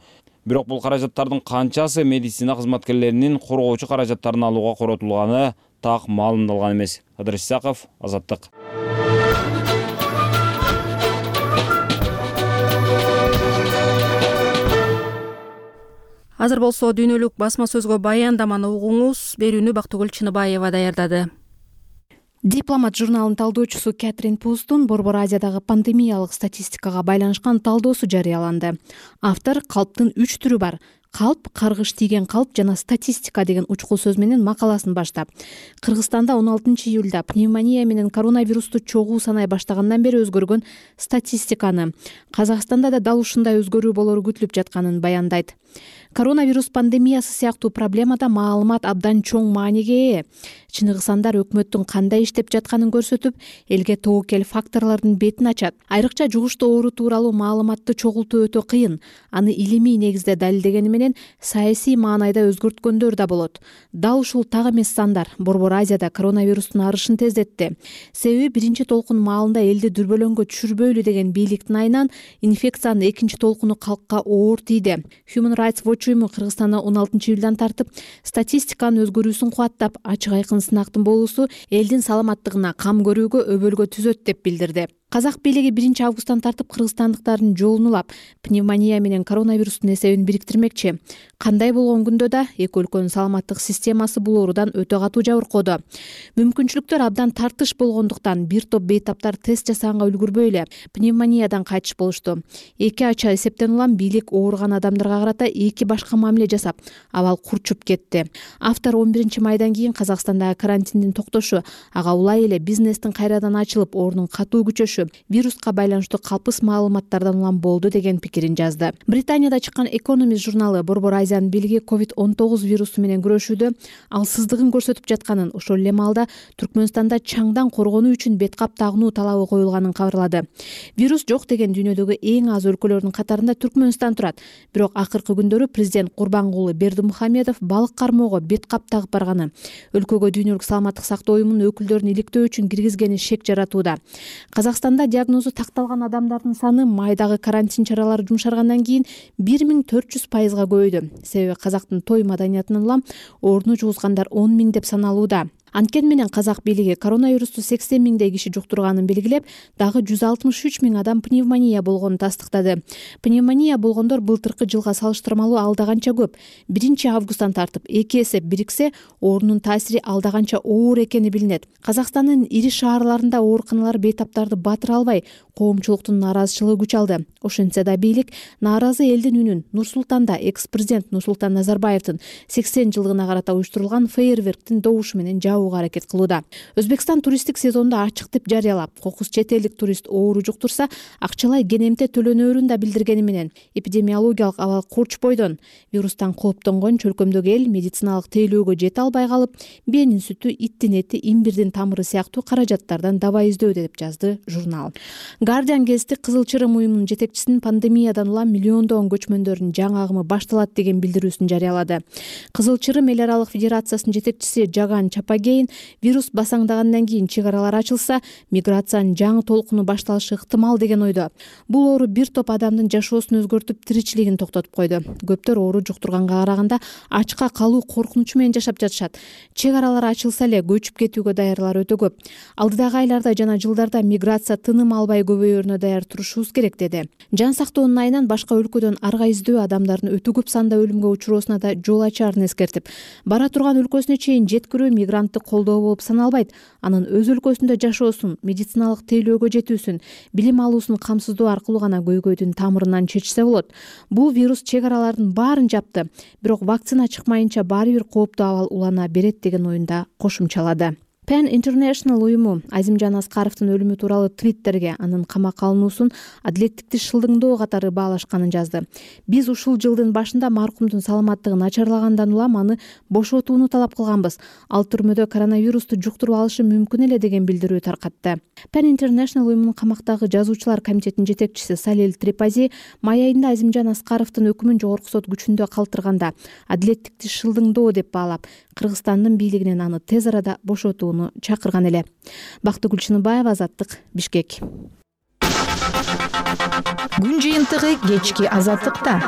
Бирок бул каражаттардын канчасы медицина кызматкерлеринин коргоочу каражаттарын алууга коротулганы так маалымдалган эмес. Кадыр Исаков, Азаттык. Азыр болсо дүйнөлүк басма сөзгө баяндаманы угуңуз. Берүүнү Бактыгүл Чыныбаева даярдады. Дипломат журналынын талдоочусу Кэтрин Пустун Борбор Азиядагы пандемиялык статистикага байланышкан талдоосу жарыяланды. Автор калптын 3 түрү бар: калп, каргыш тийген калп жана статистика деген учкул сөз менен макаласын баштап, Кыргызстанда 16-июлда пневмония менен коронавирусту чогуу санай баштагандан бери өзгөргөн статистиканы, Казакстанда да дал ушундай өзгөрүү болору күтүлүп жатканын баяндайт. Коронавирус пандемиясы сыяктуу проблемада маалымат абдан чоң мааниге ээ. Чыныгысандар өкмөттүн кандай иштеп жатканын көрсөтүп, элге тобокел факторлордун бетин ачат. Айрыкча жугуштуу оору тууралуу маалыматты чогултуу өтө кыйын. Аны илимий негизде далилдегени менен саясий маанайда өзгөрткөндөр да болот. Дал ушул так эмес сандар Борбор Азияда коронавирустун арышын тездетти. Себеби биринчи толкун маалында элди дүрбөлөңгө түшүрбөйлү деген бийликтин айынан инфекциянын экинчи толкуну калкка оор тийди. Human Rights Watch уюму Кыргызстанда 16-июлдан тартып статистиканын өзгөрүүсүн кубаттап, ачык айкын сынактын болуусу элдин саламаттыгына кам көрүүгө өбөлгө түзөт деп билдирди. Казак бийлиги 1-августтан тартып кыргызстандыктардын жолун улап, пневмония менен коронавирустун эсебин бириктирмекчи. Кандай болгон күндө да эки өлкөнүн саламаттык системасы бул оорудан өтө катуу жабыркоодо. Мүмкүнчүлүктөр абдан тартыш болгондуктан бир топ бейтаптар тест жасаганга үлгүрбөй эле пневмониядан кайтыш болушту. Эки ача эсептен улам бийлик ооруган адамдарга карата эки башка мамиле жасап, абал курчуп кетти. Автор 11-майдан кийин Казакстандагы карантиндин токтошу, ага улай эле бизнестин кайрадан ачылып, ордун катуу күчөшү вируска байланыштуу калпыс маалыматтардан улам болду деген пикирин жазды. Британияда чыккан Economist журналы Борбор Азиянын бийлиги COVID-19 вирусу менен күрөшүүдө алсыздыгын көрсөтүп жатканын, ошол эле маалда Түркмөнстанда чаңдан коргонуу үчүн беткап тагынуу талабы коюлганын кабарлады. Вирус жок деген дүйнөдөгү эң аз өлкөлөрдүн катарында Түркмөнстан турат. Бирок акыркы күндөрү президент Курбангулы Бердимухамедов балык кармоого беткап тагып барганы өлкөгө дүйнөлүк саламаттык сактоо уюмунун өкүлдөрүн иликтөө үчүн киргизгени шек жаратууда. Казакстанда диагнозу такталган адамдардын саны майдагы карантин чаралары жумшаргандан кийин 1400%га көбөйдү. Себеби казактын той маданиятынан улам ооруну жугузгандар 10 000 деп саналууда. Анткени менен казак бийлиги коронавирусту 80 000 киши жуктурганын белгилеп, дагы 163 000 адам пневмония болгонун тастыктады. Пневмония болгондор былтыркы жылга салыштырмалуу алдаганча көп. 1-августтан тартып 2 эсе бириксе, оорунун таасири алдаганча оор экени билинет. Казакстандын ири шаарларында ооруканалар бейтаптарды батыра албай, коомчулуктун нааразычылыгы күч алды. Ошентсе да бийлик нааразы элдин үнүн Нур-Султанда экс-президент Нурсултан Назарбаевдин 80 жылдыгына карата уюштурулган фейерверктин добушу менен аракет кылууда. Өзбекстан туристтик сезонду ачык деп жарыялап, кокус чет элдик турист оору жуктурса, акчалай кенемте төлөнөөрүн да билдиргени менен эпидемиологиялык абал курч бойдон вирустан кооптонгон чөлкөмдөгү эл медициналык тейлөөгө жете албай калып, бээнин сүтү, иттин эти, имбирдин тамыры сыяктуу каражаттардан даба издөөдө деп жазды журнал. Guardian гезити Кызыл Чырым уюмунун жетекчисинин пандемиядан улам миллиондогон көчмөндөрдүн жаңы агымы башталат деген билдирүүсүн жарыялады. Кызыл Чырым эл аралык федерациясынын жетекчиси Жаган Чапаге вирус басаңдагандан кийин чек аралар ачылса, миграциянын жаңы толкуну башталышы ыктымал деген ойдо. Бул оору бир топ адамдын жашоосун өзгөртүп, тиричилигин токтотуп койду. Көптөр оору жуктурганга караганда ачка калуу коркунучу менен жашап жатышат. Чек аралар ачылса эле көчүп кетүүгө даярлар өтө көп. Алдыдагы айларда жана жылдарда миграция тыным албай көбөйөрүнө даяр турушубуз керек деди. Жан сактоонун айынан башка өлкөдөн арга издөө адамдардын өтө көп санда өлүмгө учуроосуна да жол ачаарын эскертип, бара турган өлкөсүнө чейин жеткирүү мигранттык колдоо болуп саналбайт. Анын өз өлкөсүндө жашоосун, медициналык тейлөөгө жетүүсүн, билим алуусун камсыздоо аркылуу гана көйгөйдүн тамырынан чечсе болот. Бул вирус чек аралардын баарын жапты, бирок вакцина чыкмайынча баары бир кооптуу абал улана берет деген оюнда кошумчалады. Pan International уюму Азимжан Аскаровдун өлүмү тууралуу твиттерге анын камакка алынуусун адилеттикти шылдыңдоо катары баалашканын жазды. Биз ушул жылдын башында маркумдун саламаттыгы начарлагандан улам аны бошотууну талап кылганбыз. Ал түрмөдө коронавирусту жуктуруп алышы мүмкүн эле деген билдирүү таркатты. Pan International уюмунун камактагы жазуучулар комитетинин жетекчиси Салил Трипази май айында Азимжан Аскаровдун өкүмүн жогорку сот күчүндө калтырганда адилеттикти шылдыңдоо деп баалап, Кыргызстандын бийлигинен аны тез арада бошотууну чакырган эле. Бактыгүл Чыныбаева, Азаттык, Бишкек. Күн жыйынтыгы кечки Азаттыкта.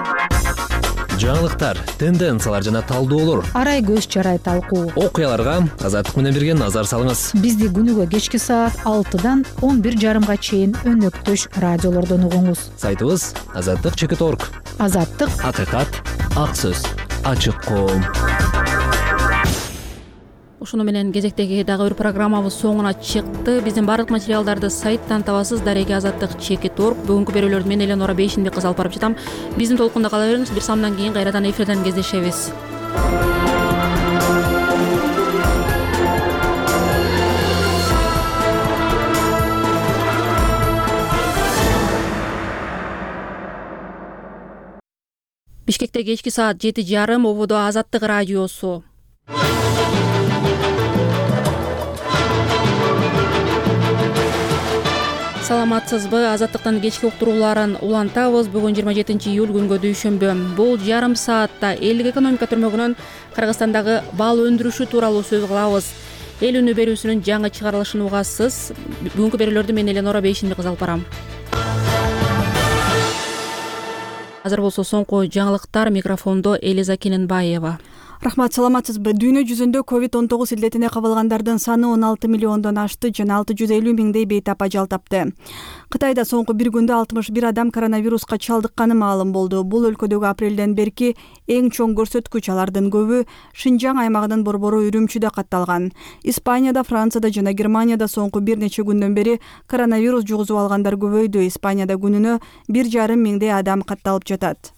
жаңылыктар, тенденциялар жана талдоолор, арай көз чарай талкуу, окуяларга Азаттык менен бирге назар салыңыз. Бизди күнүгө кечки саат 6-дан 11:30 чейин өнөктөш радиолордон угуңуз. Сайтыбыз azattik.org. Азаттык, акыйкат, ак сөз, ачык коом. Ушуну менен кезектеги дагы бир программабыз соңуна чыкты. Биздин бардык материалдарды сайттан табасыз. Дареги azattik.org. Бүгүнкү берүүлөрдү мен Эленора Бейшинбек кызы алып барып жатам. Биздин толкунда кала бериңиз. Бир самдан кийин кайрадан эфирден кездешебиз. Бишкекте кечки саат 7:30, ободо Азаттык радиосу. Саламатсызбы? Азаттыктын кечки уктурууларын улантабыз. Бүгүн 27 июль күнгө дүйшөмбү. Бул жарым саатта элдик экономика түрмөгүнөн Кыргызстандагы бал өндүрүшү тууралуу сөз кылабыз. Эл үнү берүүсүнүн жаңы чыгарылышын угасыз. Бүгүнкү берүүлөрдү мен Эленора Бейшинбек кызы алып барам. Азыр болсо соңку жаңылыктар, микрофондо Элиза Кененбаева. Рахмат, саламатсызбы? Дүйнө жүзүндө COVID-19 илдетине кабылгандардын саны 16 миллиондон ашты жана 650 миңдей бейтап ажал тапты. Кытайда соңку бир күндө 61 адам коронавируска чалдыкканы маалым болду. Бул өлкөдөгү апрелден берки эң чоң көрсөткүч. Алардын көбү Шинжаң аймагынын борбору Үрүмчүдө катталган. Испанияда, Францияда жана Германияда соңку бир нече күндөн бери коронавирус жугузуп алгандар көбөйдү. Испанияда күнүнө 1,5 миңдей адам катталып жатат.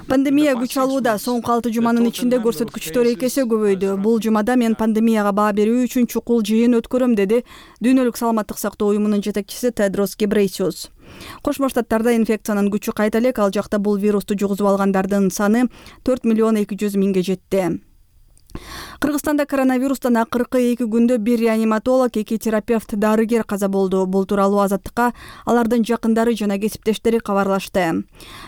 Пандемия күч алууда. Соңку 6 жуманын ичинде көрсөткүчтөр 2 эсе көбөйдү. Бул жумада мен пандемияга баа берүү үчүн чукул жыйын өткөрөм, деди Дүйнөлүк саламаттык сактоо уюмунун жетекчиси Тедрос Гебрейсус. Кошмо Штаттарда инфекциянын күчү кайта элек. Ал жакта бул вирусту жугузуп алгандардын саны 4 миллион 200 миңге жетти. Кыргызстанда коронавирустан акыркы 2 күндө бир реаниматолог, 2 терапевт, дарыгер каза болду. Бул тууралуу Азаттыкка алардын жакындары жана кесиптештери кабарлашты.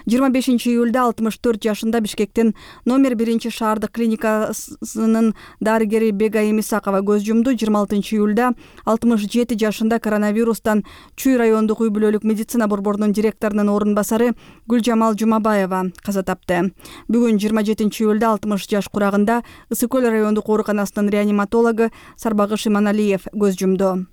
25 июлда 64 жашында Бишкектин номер 1 шаардык клиникасынын дарыгери Бегайым Исакова көз жумду. 26 июлда 67 жашында коронавирустан Чүй райондук үй бүлөлүк медицина борборунун директорунун орун басары Гүлжамал Жумабаева каза тапты. Бүгүн 27 июлда 60 жаш курагында Ысык райондук ооруканасынын реаниматологу Сарбагыш Иманалиев көз жумду.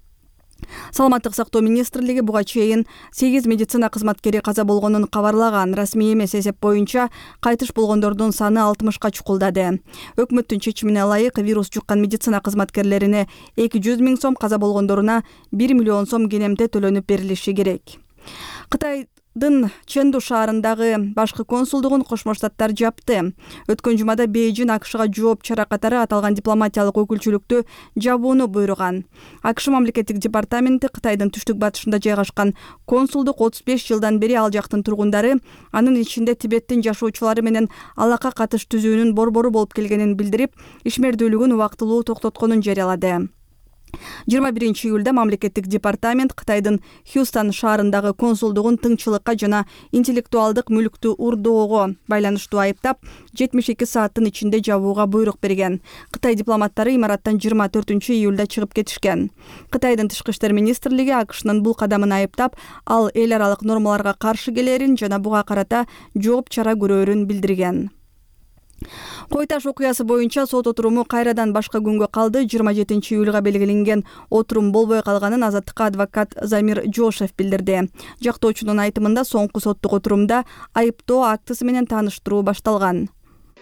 Саламаттык сактоо министрлиги буга чейин 8 медицина кызматкери каза болгонун кабарлаган. Расмий эмес эсеп боюнча кайтыш болгондордун саны 60ка чукулдады. Өкмөттүн чечимине ылайык вирус жуккан медицина кызматкерлерине 200 миң сом, каза болгондоруна 1 миллион сом кенемте төлөнүп берилиши керек. Кытайдын Чэнду шаарындагы башкы консулдугун Кошмо Штаттар жапты. Өткөн жумада Бейжин АКШга жооп чара катары аталган дипломатиялык өкүлчүлүктү жабууну буйруган. АКШ мамлекеттик департаменти Кытайдын түштүк батышында жайгашкан консулдук 35 жылдан бери ал жактын тургундары, анын ичинде Тибеттин жашоочулары менен алака катыш түзүүнүн борбору болуп келгенин билдирип, ишмердүүлүгүн убактылуу токтотконун жарыялады. 21 июлда мамлекеттик департамент Кытайдын Хьюстон шаарындагы консулдугун тыңчылыкка жана интеллектуалдык мүлктү урдоого байланыштуу айыптап, 72 сааттын ичинде жабууга буйрук берген. Кытай дипломаттары имараттан 24 июлда чыгып кетишкен. Кытайдын тышкы иштер министрлиги АКШнын бул кадамын айыптап, ал эл аралык нормаларга каршы келерин жана буга карата жооп чара көрөрүн билдирген. Кой Таш окуясы боюнча сот отуруму кайрадан башка күнгө калды. 27 июлга белгиленген отурум болбой калганын Азаттыкка адвокат Замир Жошев билдирди. Жактоочунун айтымында соңку соттук отурумда айыптоо актысы менен тааныштыруу башталган.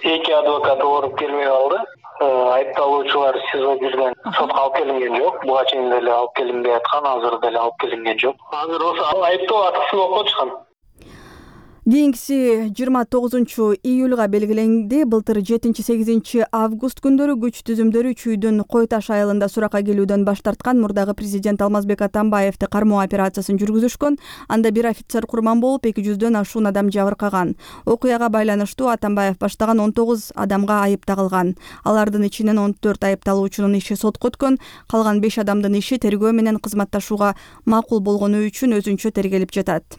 Эки адвокат ооруп келбей калды. Айыпталуучулар СИЗО жүргөн, сотко алып келинген жок. Буга чейин деле алып келинбей аткан, азыр деле алып келинген жок. Азыр ошо айыптоо актысын окуп чыккан. Кийинкиси 29 июлга белгиленди. Былтыр 7-8 август күндөрү күч түзүмдөрү Чүйдүн Кой Таш айылында суракка келүүдөн баш тарткан мурдагы президент Алмазбек Атамбаевди кармоо операциясын жүргүзүшкөн. Анда бир офицер курман болуп, 200дөн ашуун адам жабыркаган. Окуяга байланыштуу Атамбаев баштаган 19 адамга айып тагылган. Алардын ичинен 14 айыпталуучунун иши сотко өткөн. Калган 5 адамдын иши тергөө менен кызматташууга макул болгону үчүн өзүнчө тергелип жатат.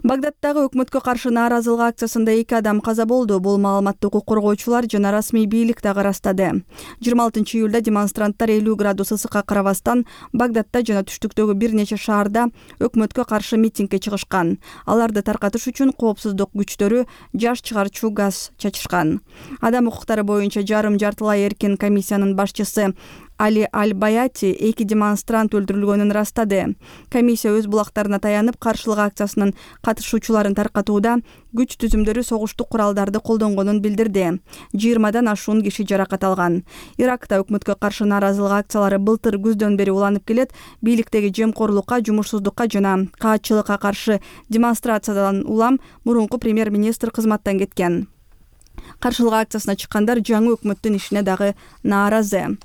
Багдадтагы өкмөткө каршы нааразылык акциясында 2 адам каза болду. Бул маалыматты укук коргоочулар жана расмий бийлик дагы ырастады. 26 июлда демонстранттар 50 градус ысыкка карабастан Багдадта жана түштүктөгү бир нече шаарда өкмөткө каршы митингге чыгышкан. Аларды таркатыш үчүн коопсуздук күчтөрү жаш чыгарчу газ чачышкан. Адам укуктары боюнча жарым-жартылай эркин комиссиянын башчысы Али Аль-Баяти 2 демонстрант өлтүрүлгөнүн ырастады. Комиссия өз булактарына таянып, каршылык акциясынын катышуучуларын таркатууда күч түзүмдөрү согуштук куралдарды колдонгонун билдирди. 20дан ашуун киши жаракат алган. Иракта өкмөткө каршы нааразылык акциялары былтыр күздөн бери уланып келет. Бийликтеги жемкорлукка, жумушсуздукка жана каатчылыкка каршы демонстрациядан улам мурунку премьер-министр кызматтан кеткен. Каршылык акциясына чыккандар жаңы өкмөттүн ишине дагы нааразы.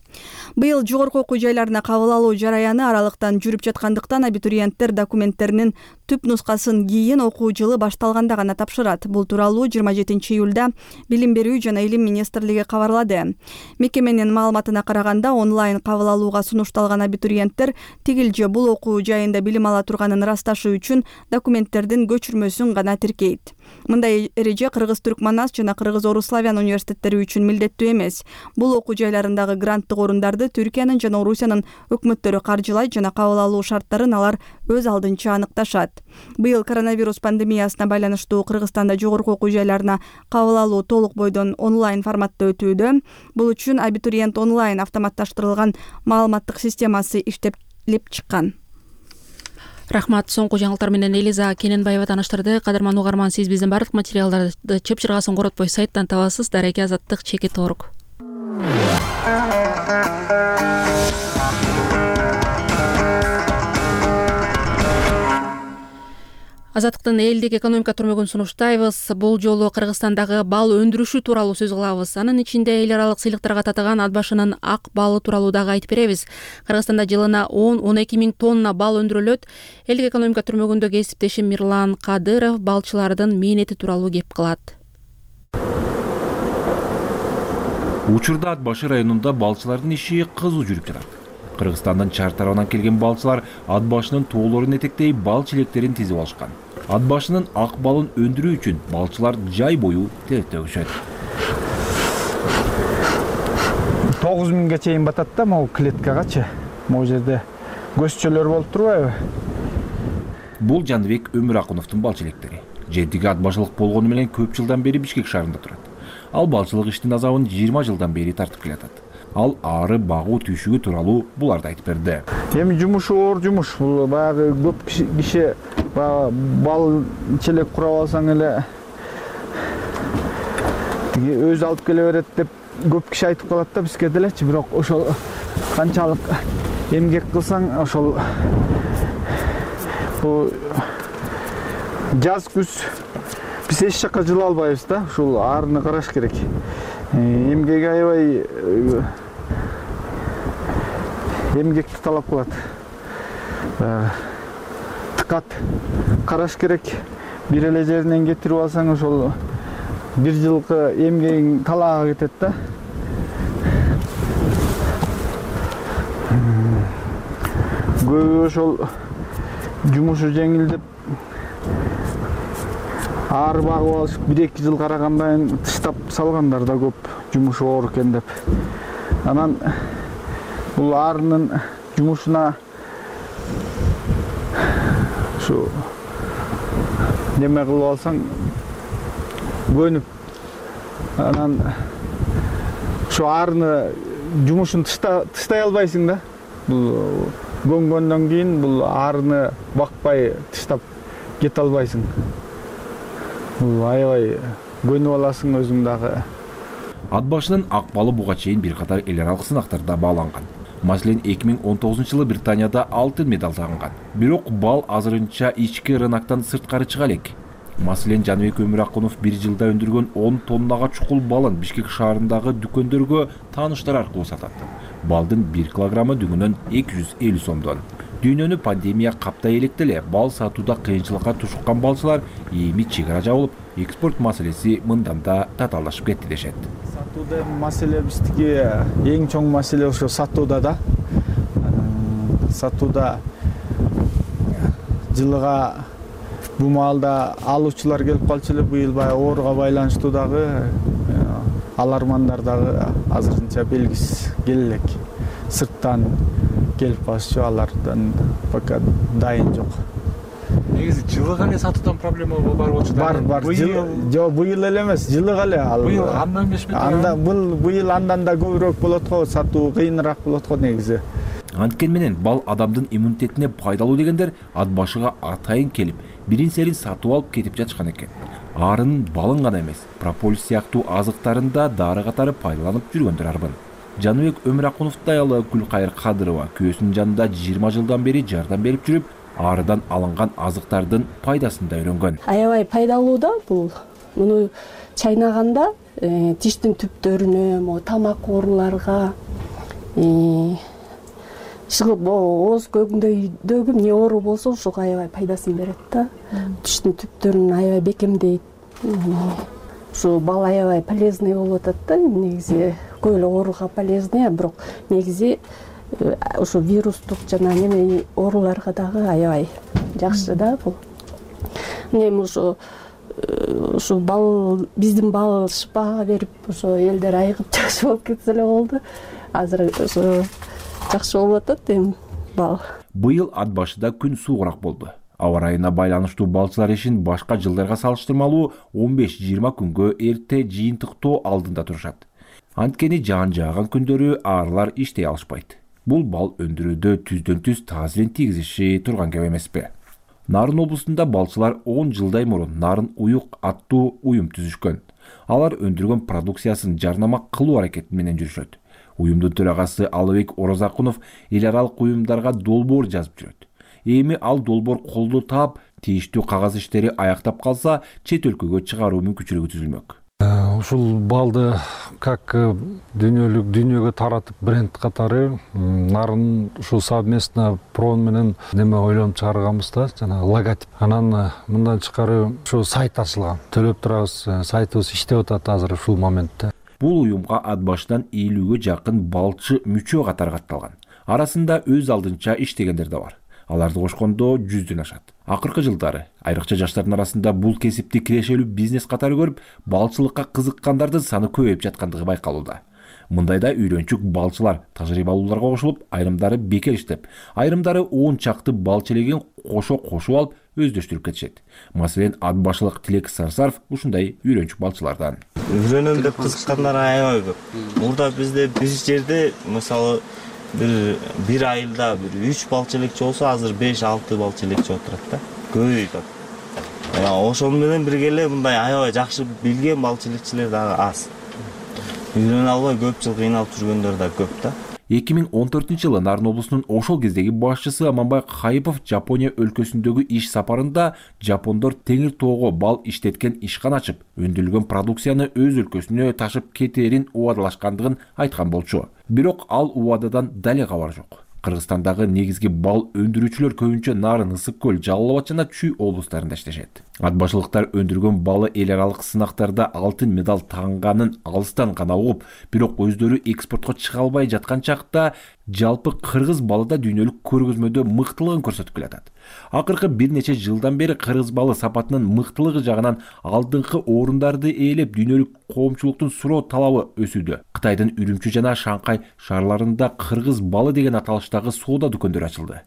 Быйыл жогорку окуу жайларына кабыл алуу жараяны аралыктан жүрүп жаткандыктан абитуриенттер документтеринин түп нускасын кийин окуу жылы башталганда гана тапшырат. Бул тууралуу 27 июлда Билим берүү жана Илим министрлиги кабарлады. Мекеменин маалыматына караганда онлайн кабыл алууга сунушталган абитуриенттер тигил же бул окуу жайында билим ала турганын ырасташы үчүн документтердин көчүрмөсүн гана тиркейт. Мындай эреже Кыргыз-Түркманас жана Кыргыз-Орус-Славян университеттери үчүн милдеттүү эмес. Бул окуу жайларындагы гранттык орундарды Түркиянын жана Орусиянын өкмөттөрү каржылайт жана кабыл алуу шарттарын алар өз алдынча аныкташат. Быйыл коронавирус пандемиясына байланыштуу Кыргызстанда жогорку окуу жайларына кабыл алуу толук бойдон онлайн форматта өтүүдө. Бул үчүн абитуриент онлайн автоматташтырылган маалыматтык системасы иштелип чыккан. Рахмат. Соңку жаңылыктар менен Элиза Кененбаева тааныштырды. Кадырман угарман, сиз биздин бардык материалдарды чыпчыргасын коротпой сайттан табасыз. Дареке Азаттык чекит орг. Азаттыктын элдик экономика түрмөгүн сунуштайбыз. Бул жолу Кыргызстандагы бал өндүрүшү тууралуу сөз кылабыз. Анын ичинде эл аралык сыйлыктарга татыган ат башынын ак балы тууралуу дагы айтып беребиз. Кыргызстанда жылына 10-12 миң тонна бал өндүрүлөт. Элдик экономика түрмөгүндө кесиптешим Мирлан Кадыров балчылардын мээнети тууралуу кеп кылат. Учурда Ат башы районунда балчылардын иши кызуу жүрүп жатат. Кыргызстандын чар тарабынан келген балчылар ат башынын тоолорун этектей бал чилектерин тизип алышкан. Ат башынын ак балын өндүрүү үчүн балчылар жай бою тегиштөгүшөт. 9 миңге чейин батат да могу клеткагачы. Могу жерде көзчөлөр болуп турбайбы? Бул Жаныбек Өмүракуновдун бал чилектери. Жедиги ат башылык болгону менен көп жылдан бери Бишкек шаарында турат. Ал балчылык иштин азабын 20 жылдан бери тартып келатат. Ал ары багуу түйшүгү тууралуу буларды айтып берди. Эми жумушу оор жумуш. Бул баягы көп киши бал челек курап алсаң эле өзү алып келе берет деп көп киши айтып калат да бизге делечи. Бирок ошол канчалык эмгек кылсаң ошол бул жаз күз биз эч жакка жыла албайбыз да. Ушул аарыны караш керек. Эмгеги аябай эмгекти талап кылат. Дыкат караш керек. Бир эле жеринен кетирип алсаң ошол бир жылкы эмгегиң талаага кетет да. Көбү ошол жумушу жеңил деп ары багып алышып 1-2 жыл карагандан кийин тыштап салгандар да көп, жумушу оор экен деп. Анан бул арынын жумушуна ушу неме кылып алсаң көнүп, анан ушу арыны жумушун тыштай албайсың да. Бул көнгөндөн кийин бул арыны бакпай тыштап кете албайсың. Бул аябай көнүп аласың өзүң дагы. Ат башынын ак балы буга чейин бир катар эл аралык сынактарда бааланган. Маселен 2019-жылы Британияда алтын медаль тагынган. Бирок бал азырынча ички рыноктон сырткары чыга элек. Маселен Жаныбек Өмүракунов 1 жылда өндүргөн 10 тоннага чукул балын Бишкек шаарындагы дүкөндөргө тааныштар аркылуу сатат. Балдын 1 килограммы дүгүнөн 250 сомдон. Дүйнөнү пандемия каптай электе эле бал сатууда кыйынчылыкка тушуккан балчылар эми чегара жабылып, экспорт маселеси мындан да татаалдашып кетти дешет. Сатууда маселе биздики эң чоң маселе ошо сатууда да. Сатууда жылыга Бул маалда алуучулар келип калчу эле, быйыл баягы ооруга байланыштуу дагы алармандар дагы азырынча белгисиз келе элек. Сырттан келип калышчу, алардан пока дайын жок. Негизи жылыга эле сатуудан проблема бар болчу да. Бар. Жок, быйыл эле эмес, жылыга эле. Быйыл андан эмесми? Быйыл андан да көбүрөөк болот го, сатуу кыйыныраак болот го негизи. Анткен менен бал адамдын иммунитетине пайдалуу дегендер ат башыга атайын келип, бирин-серин сатып алып кетип жатышкан экен. Арынын балын гана эмес, прополис сыяктуу азыктарын да дары катары пайдаланып жүргөндөр арбын. Жаныбек Өмүракуновдун аялы Гүлкайыр Кадырова күйөөсүнүн жанында 20 жылдан бери жардам берип жүрүп, арыдан алынган азыктардын пайдасын да үйрөнгөн. Аябай пайдалуу да бул. Муну чайнаганда тиштин түптөрүнө, тамак ооруларга, чыгып ооз көгүндөгү эмне оору болсо ошого аябай пайдасын берет да. Тиштин түптөрүн аябай бекемдейт. Ушу бал аябай полезный болуп атат да. Негизи көп эле ооруга полезный, бирок негизи ушу вирустук жана неме ооруларга дагы аябай жакшы да бул. Эми ушу бал, биздин бал шыпага берип, ошо элдер айыгып жакшы болуп кетсе эле болду. Азыр ошо жакшы болуп атат эми бал. Быйыл ат башыда күн суугураак болду. Аба ырайына байланыштуу балчылар ишин башка жылдарга салыштырмалуу 15-20 күнгө эрте жыйынтыктоо алдында турушат. Анткени жаан жааган күндөрү арылар иштей алышпайт. Бул бал өндүрүүдө түздөн-түз таасирин тийгизиши турган кеп эмеспи? Нарын облусунда балчылар 10 жылдай мурун Нарын уюк аттуу уюм түзүшкөн. Алар өндүргөн продукциясын жарнама кылуу аракети менен жүрүшөт. Уюмдун төрагасы Алыбек Орозакунов эл аралык уюмдарга долбоор жазып жүрөт. Эми ал долбоор колдоо таап, тийиштүү кагаз иштери аяктап калса, чет өлкөгө чыгаруу мүмкүнчүлүгү түзүлмөк. Ушул балды как дүйнөгө таратып бренд катары Нарын ушул совместно прон менен неме ойлонуп чыгарганбыз да, жана логотип. Анан мындан тышкары ушу сайт ачылган. Төлөп турабыз, сайтыбыз иштеп атат азыр ушул моментте. Бул уюмга ат башынан 50-гө жакын балчы мүчө катары катталган. Арасында өз алдынча иштегендер да бар. Аларды кошкондо 100дөн ашат. Акыркы жылдары айрыкча жаштардын арасында бул кесипти кирешелүү бизнес катары көрүп, балчылыкка кызыккандардын саны көбөйүп жаткандыгы байкалууда. Мындайда үйрөнчүк балчылар тажрыйбалууларга кошулуп, айрымдары бекер иштеп, айрымдары 10 чакты бал челегин кошуп алып өздөштүрүп кетишет. Маселен, ат башылык Тилек Сарсаров ушундай үйрөнчүк балчылардан. Үйрөнөм деп кызыккандар аябай көп. Мурда бизде бир жерде мисалы bir айылда 3 балчы элекчи болсо, азыр 5-6 балчы элекчи отурат да. Көбөйүп атат. Ошону менен бирге эле мындай аябай жакшы билген балчы элекчилер дагы аз. Үйрөнө албай көп жыл кыйналып жүргөндөр да көп да. 2014-жылы Нарын облусунун ошол кездеги башчысы Аманбай Кайыпов Жапония өлкөсүндөгү иш сапарында жапондор теңир тоого бал иштеткен ишкана ачып, өндүрүлгөн продукцияны өз өлкөсүнө ташып кетээрин убадалашкандыгын айткан болчу. Бирок ал убададан дале кабар жок. Кыргызстандагы негизги бал өндүрүүчүлөр көбүнчө Нарын, Ысык көл, Жалал Абад жана Чүй облустарында иштешет. Ат башылыктар өндүргөн балы эл аралык сынактарда алтын медаль таанганын алыстан гана угуп, бирок өздөрү экспортко чыга албай жаткан чакта жалпы кыргыз балы да дүйнөлүк көргөзмөдө мыктылыгын көрсөтүп келатат. Акыркы бир нече жылдан бери кыргыз балы сапатынын мыктылыгы жагынан алдыңкы орундарды ээлеп, дүйнөлүк коомчулуктун суроо талабы өсүүдө. Кытайдын Үрүмчү жана Шанхай шаарларында кыргыз балы деген аталыштагы соода дүкөндөрү ачылды.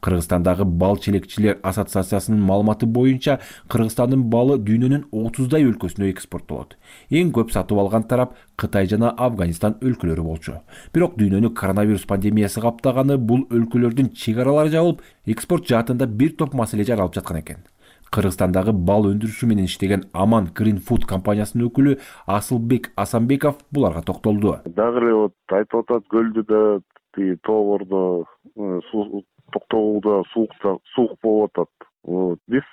Кыргызстандагы бал челекчилер ассоциациясынын маалыматы боюнча, Кыргызстандын балы дүйнөнүн 30дай өлкөсүнө экспорттолот. Эң көп сатып алган тарап Кытай жана Афганистан өлкөлөрү болчу. Бирок дүйнөнү коронавирус пандемиясы каптаганы бул өлкөлөрдүн чек аралары жабылып, экспорт жаатында бир топ маселе жаралып жаткан экен. Кыргызстандагы бал өндүрүшү менен иштеген Аман Green Food компаниясынын өкүлү Асылбек Асанбеков буларга токтолду. Дагы эле айтып атат, көлдө да, тоогордо токтогулда суук болуп атат. Биз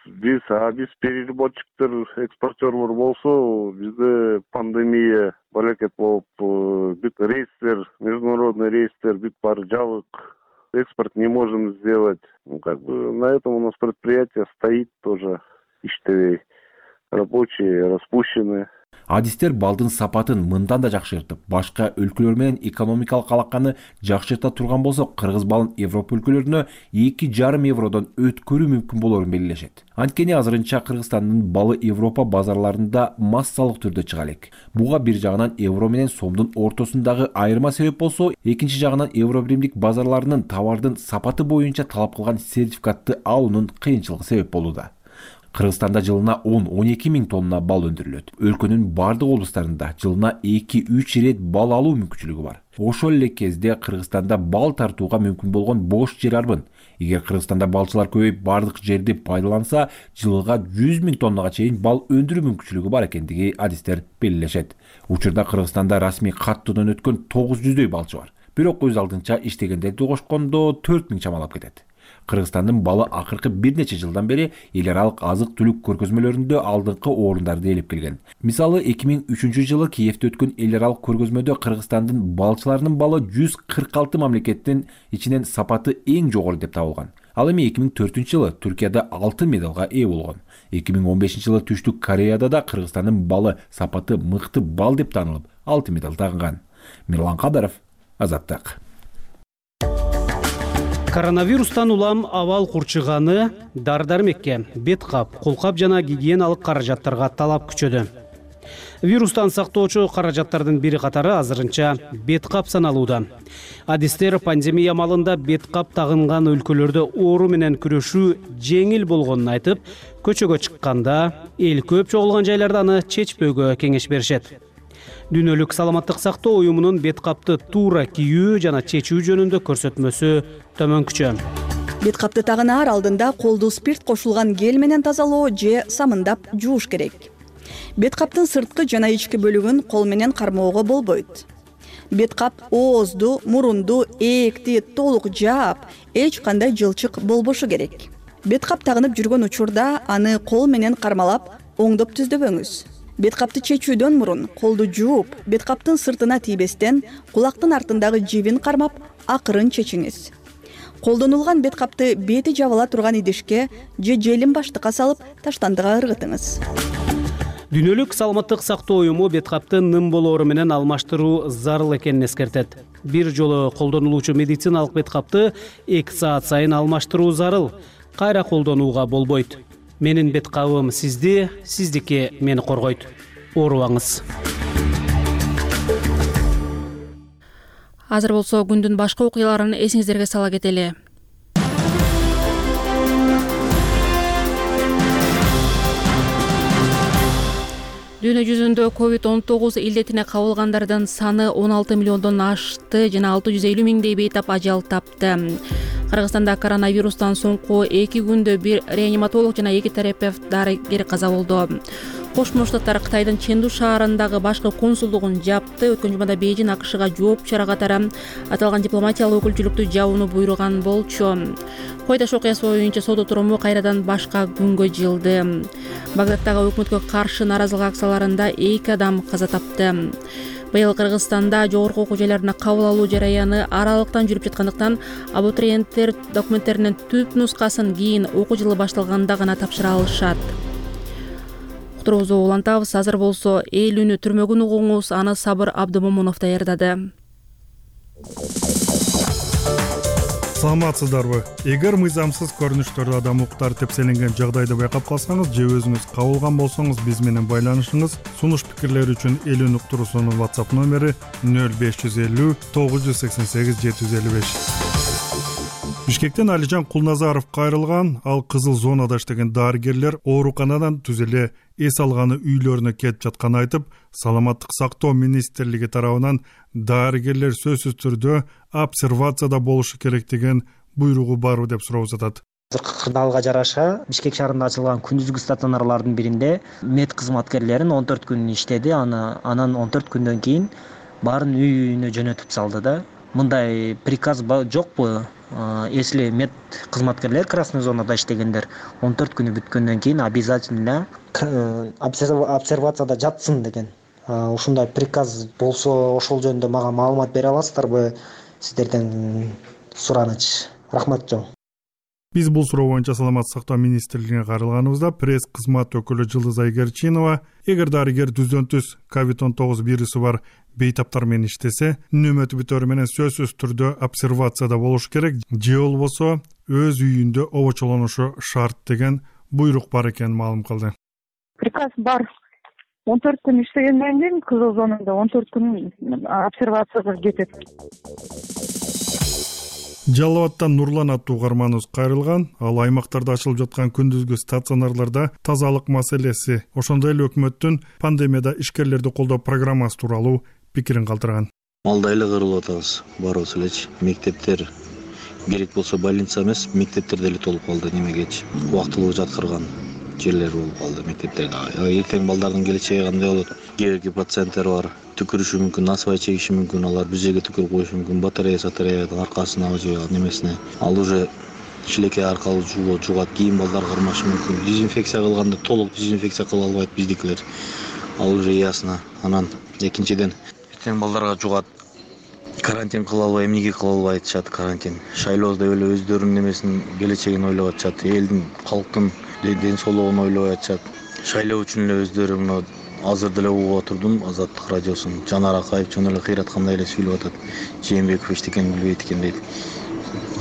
переработчиктер, экспортёрлор болсо, бизде пандемия балекет болуп, бүт рейстер, международный рейстер бүт баары жабык. Экспорт не можем сделать. На этом у нас предприятие стоит тоже, иштебей. Рабочие распущены. Адистер балдын сапатын мындан да жакшыртып, башка өлкөлөр менен экономикалык алаканы жакшырта турган болсо, кыргыз балын Европа өлкөлөрүнө 2,5 евродон өткөрүү мүмкүн болорун белгилешет. Анткени азырынча Кыргызстандын балы Европа базарларында массалык түрдө чыга элек. Буга бир жагынан евро менен сомдун ортосундагы айырма себеп болсо, экинчи жагынан евро биримдик базарларынын товардын сапаты боюнча талап кылган сертификатты алуунун кыйынчылыгы себеп болууда. Кыргызстанда жылына 10-12 миң тонна бал өндүрүлөт. Өлкөнүн бардык облустарында жылына 2-3 рет бал алуу мүмкүнчүлүгү бар. Ошол эле кезде Кыргызстанда бал тартууга мүмкүн болгон бош жер арбын. Эгер Кыргызстанда балчылар көбөйүп, бардык жерди пайдаланса, жылга 100 миң тоннага чейин бал өндүрүү мүмкүнчүлүгү бар экендиги адистер белгилешет. Учурда Кыргызстанда расмий каттуудан өткөн 900дөй балчы бар. Бирок өз алдынча иштегендерди кошкондо 4 миң чамалап кетет. Кыргызстандын балы акыркы бир нече жылдан бери эл аралык азык-түлүк көргөзмөлөрүндө алдыңкы орундарды ээлеп келген. Мисалы 2003 жылы Киевде өткөн эл аралык көргөзмөдө Кыргызстандын балчыларынын балы 146 мамлекеттин ичинен сапаты эң жогору деп табылган. Ал эми 2004 жылы Түркияда алтын медалга ээ болгон. 2015 жылы Түштүк Кореяда да Кыргызстандын балы сапаты мыкты бал деп таанылып, алтын медаль тагынган. Мирлан Кадаров, Азаттык. Коронавирустан улам абал курчуганы дар-дармекке, бет кап, колкап жана гигиеналык каражаттарга талап күчөдү. Вирустан сактоочу каражаттардын бири катары азырынча бет кап саналууда. Адистер пандемия малында бет кап тагынган өлкөлөрдө оору менен күрөшүү жеңил болгонун айтып, көчөгө чыкканда эл көп чогулган жайларда аны чечпөөгө кеңеш беришет. Дүйнөлүк саламаттык сактоо уюмунун бет капты туура кийүү жана чечүү жөнүндө көрсөтмөсү төмөнкүчө. Бет капты тагынаар алдында колду спирт кошулган гель менен тазалоо же самындап жууш керек. Бет каптын сырткы жана ички бөлүгүн кол менен кармоого болбойт. Бет кап оозду, мурунду, ээкти толук жаап, эч кандай жылчык болбошу керек. Бет кап тагынып жүргөн учурда аны кол менен кармалап, оңдоп түздөбөңүз. Бет капты чечүүдөн мурун колду жууп, бет каптын сыртына тийбестен кулактын артындагы жибин кармап, акырын чечиңиз. Колдонулган бет капты бети жабыла турган идишке же желим баштыкка салып, таштандыга ыргытыңыз. Дүйнөлүк саламаттык сактоо уюму бет капты ным болоору менен алмаштыруу зарыл экенин эскертет. Бир жолу колдонулуучу медициналык бет капты 2 саат сайын алмаштыруу зарыл. Кайра колдонууга болбойт. Менин бет кабым сизди, сиздики мени коргойт. Оорубаңыз. Азыр болсо күндүн башка окуяларын эсиңиздерге сала кетели. Дүйнө жүзүндө COVID-19 илдетине кабылгандардын саны 16 миллиондон ашты жана 650 миңдей бейтап ажал тапты. Кыргызстанда коронавирустан соңку 2 күндө бир реаниматолог жана 2 терапевт дарыгер каза болду. Кошмо Штаттар Кытайдын Ченду шаарындагы башкы консулдугун жапты. Өткөн жумада Бейжин АКШга жооп чара катары аталган дипломатиялык өкүлчүлүктү жабууну буйруган болчу. Койдаш окуясы боюнча сот отуруму кайрадан башка күнгө жылды. Багдадтагы өкмөткө каршы нааразылык акцияларында 2 адам каза тапты. Быйыл Кыргызстанда жогорку окуу жайларына кабыл алуу жараяны аралыктан жүрүп жаткандыктан абитуриенттер документтеринин түп нускасын кийин окуу жылы башталганда гана тапшыра алышат. Уктуруубузду улантабыз. Азыр болсо эл үнү түрмөгүн угуңуз, аны Сабыр Абдымомунов даярдады. Саламатсыздарбы? Эгер мыйзамсыз көрүнүштөрдү адам укуктары тепселенген жагдайды байкап калсаңыз же өзүңүз кабылган болсоңуз биз менен байланышыңыз. Сунуш пикирлер үчүн эл үнү уктуруусунун WhatsApp номери 0550 988 755. Бишкектен Алижан Кулназаров кайрылган, ал кызыл зонада иштеген дарыгерлер ооруканадан түз эле эс алганы үйлөрүнө кетип жатканын айтып, саламаттык сактоо министрлиги тарабынан дарыгерлер сөзсүз түрдө обсервацияда болушу керек деген буйругу барбы деп сурап жатат. Кырдаалга жараша Бишкек шаарында ачылган күндүзгү стационарлардын биринде мед кызматкерлерин 14 күн иштеди, анан 14 күндөн кийин баарын үйүнө жөнөтүп салды да. Мындай приказ жокпу? Если мед кызматкерлер красный зонада иштегендер 14 күнү бүткөндөн кийин обязательно обсервацияда жатсын деген. Ушундай приказ болсо ошол жөнүндө мага маалымат бере аласыздарбы? Сиздерден сураныч. Рахмат жоо. Биз бул суроо боюнча Саламаттык сактоо министрлигине кайрылганыбызда пресс кызмат өкүлү Жылдыз Айгерчинова эгер дарыгер түздөн түз COVID-19 вирусу бар бейтаптар менен иштесе, нөмөтү бүтөөрү менен сөзсүз түрдө обсервацияда болуш керек же болбосо өз үйүндө обочолонушу шарт деген буйрук бар экенин маалым кылды. Приказ бар. 14 күн иштегенден кийин кызыл зонада 14 күн обсервацияга кетет. Жалал Абадтан Нурлан аттуу угарманыбыз кайрылган. Ал аймактарда ачылып жаткан күндүзгү стационарларда тазалык маселеси, ошондой эле өкмөттүн пандемияда ишкерлерди колдоо программасы тууралуу пикирин калтырган. Малда эле кырылып атабыз, барыбыз элечи. Мектептер керек болсо больница эмес, мектептер деле толуп калды немегечи. Убактылуу жаткырган жерлер болуп калды мектептерде. Эртең балдардын келечеги кандай болот? Кээ пациенттер бар, түкүрүшү мүмкүн, насыбай чегиши мүмкүн, алар бизге түкүрүп коюшу мүмкүн, батареянын аркасына же немесине. Ал уже шилекей аркылуу жугат, кийин балдар кармашы мүмкүн. Дезинфекция кылганда толук дезинфекция кыла албайт биздикилер. Ал уже ясно. Анан экинчиден эртең балдарга жугат. Карантин кыла албай, эмнеге кыла албай атышат карантин. Шайлоо деп эле өздөрүнүн немесин келечегин ойлоп атышат, элдин, калктын ден соолугун ойлой атышат. Шайлоо үчүн эле өздөрү мына азыр деле угуп отурдум Азаттык радиосун. Жанар Акаев жөн эле кыйраткандай эле сүйлөп атат. Жээнбеков эчтекени билбейт экен дейт.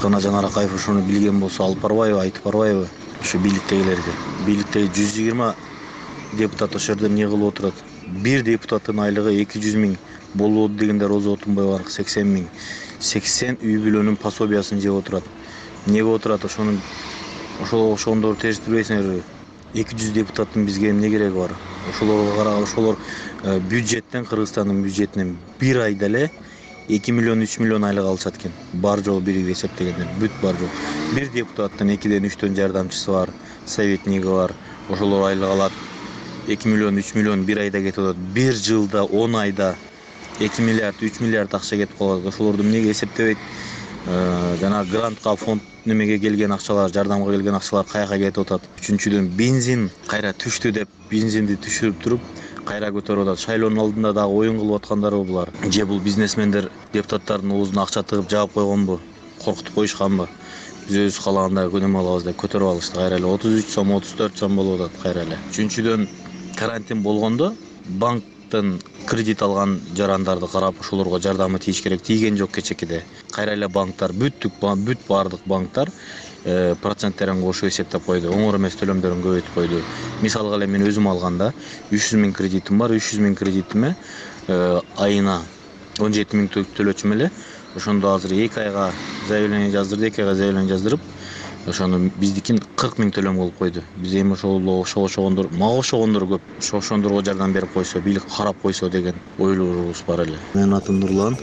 Кана Жанар Акаев ошону билген болсо алып барбайбы, айтып барбайбы? Ошо бийликтегилерге. Бийликтеги 120 депутат ошол жерде эмне кылып отурат? Бир депутаттын айлыгы 200 000 болот дегенде Роза Отунбаева 80 000. 80 үй бүлөнүн пособиясын жеп отурат. Эмнеге отурат? Ошондор териштирбейсиңерби? 200 депутаттын бизге эмне кереги бар? Ошолор бюджеттен, Кыргызстандын бюджетинен бир айда эле 2 миллион 3 миллион айлык алышат экен. Бар жол бирге эсептегенде бүт бар жол. Бир депутаттын 2ден 3төн жардамчысы бар, советниги бар. Ошолор айлык алат. 2 миллион 3 миллион бир айда кетип атат. Бир жылда 10 айда 2 миллиард 3 миллиард акча кетип калат. Ошолорду эмнеге эсептебейт? Жана грантка, фонд немеге келген акчалар, жардамга келген акчалар каяка кетип атат? Үчүнчүдөн бензин кайра түштү деп бензинди түшүрүп туруп кайра көтөрүп атат. Шайлоонун алдында дагы оюн кылып аткандарбы булар? Же бул бизнесмендер депутаттардын оозуна акча тыгып жаап койгонбу? Коркутуп коюшканбы? Биз өзүбүз каалагандай өнөм алабыз деп көтөрүп алышты. Кайра эле 33 сом, 34 сом болуп атат кайра эле. Үчүнчүдөн карантин болгондо банктын кредит алган жарандарды карап ошолорго жардамы тийиш керек. Тийген жок кечекиде. Кайра эле банктар бүт баардык банктар проценттерин кошуп эсептеп койду. Оңор эмес төлөмдөрүн көбөйтүп койду. Мисалга эле мен өзүм алганда 300 000 кредитим бар. 300 000 кредитиме айына 17 000 төлөчүм эле. Ошондо азыр 2 айга заявление жаздырды, 2 айга заявление жаздырып, ошону биздикин 40 000 төлөм кылып койду. Биз эми ошогондор, мага ошогондор көп. Ошондорго жардам берип койсо, бийлик карап койсо деген ойлорубуз бар эле. Менин атым Нурлан.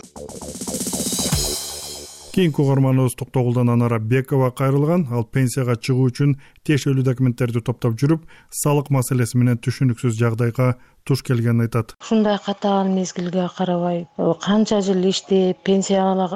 Кийинки угарманыбыз Токтогулдан Анара Бекова кайрылган. Ал пенсияга чыгуу үчүн тиешелүү документтерди топтоп жүрүп, салык маселеси менен түшүнүксүз жагдайга туш келгенин айтат. Ушундай катаал мезгилге карабай, канча жыл иштеп, пенсияга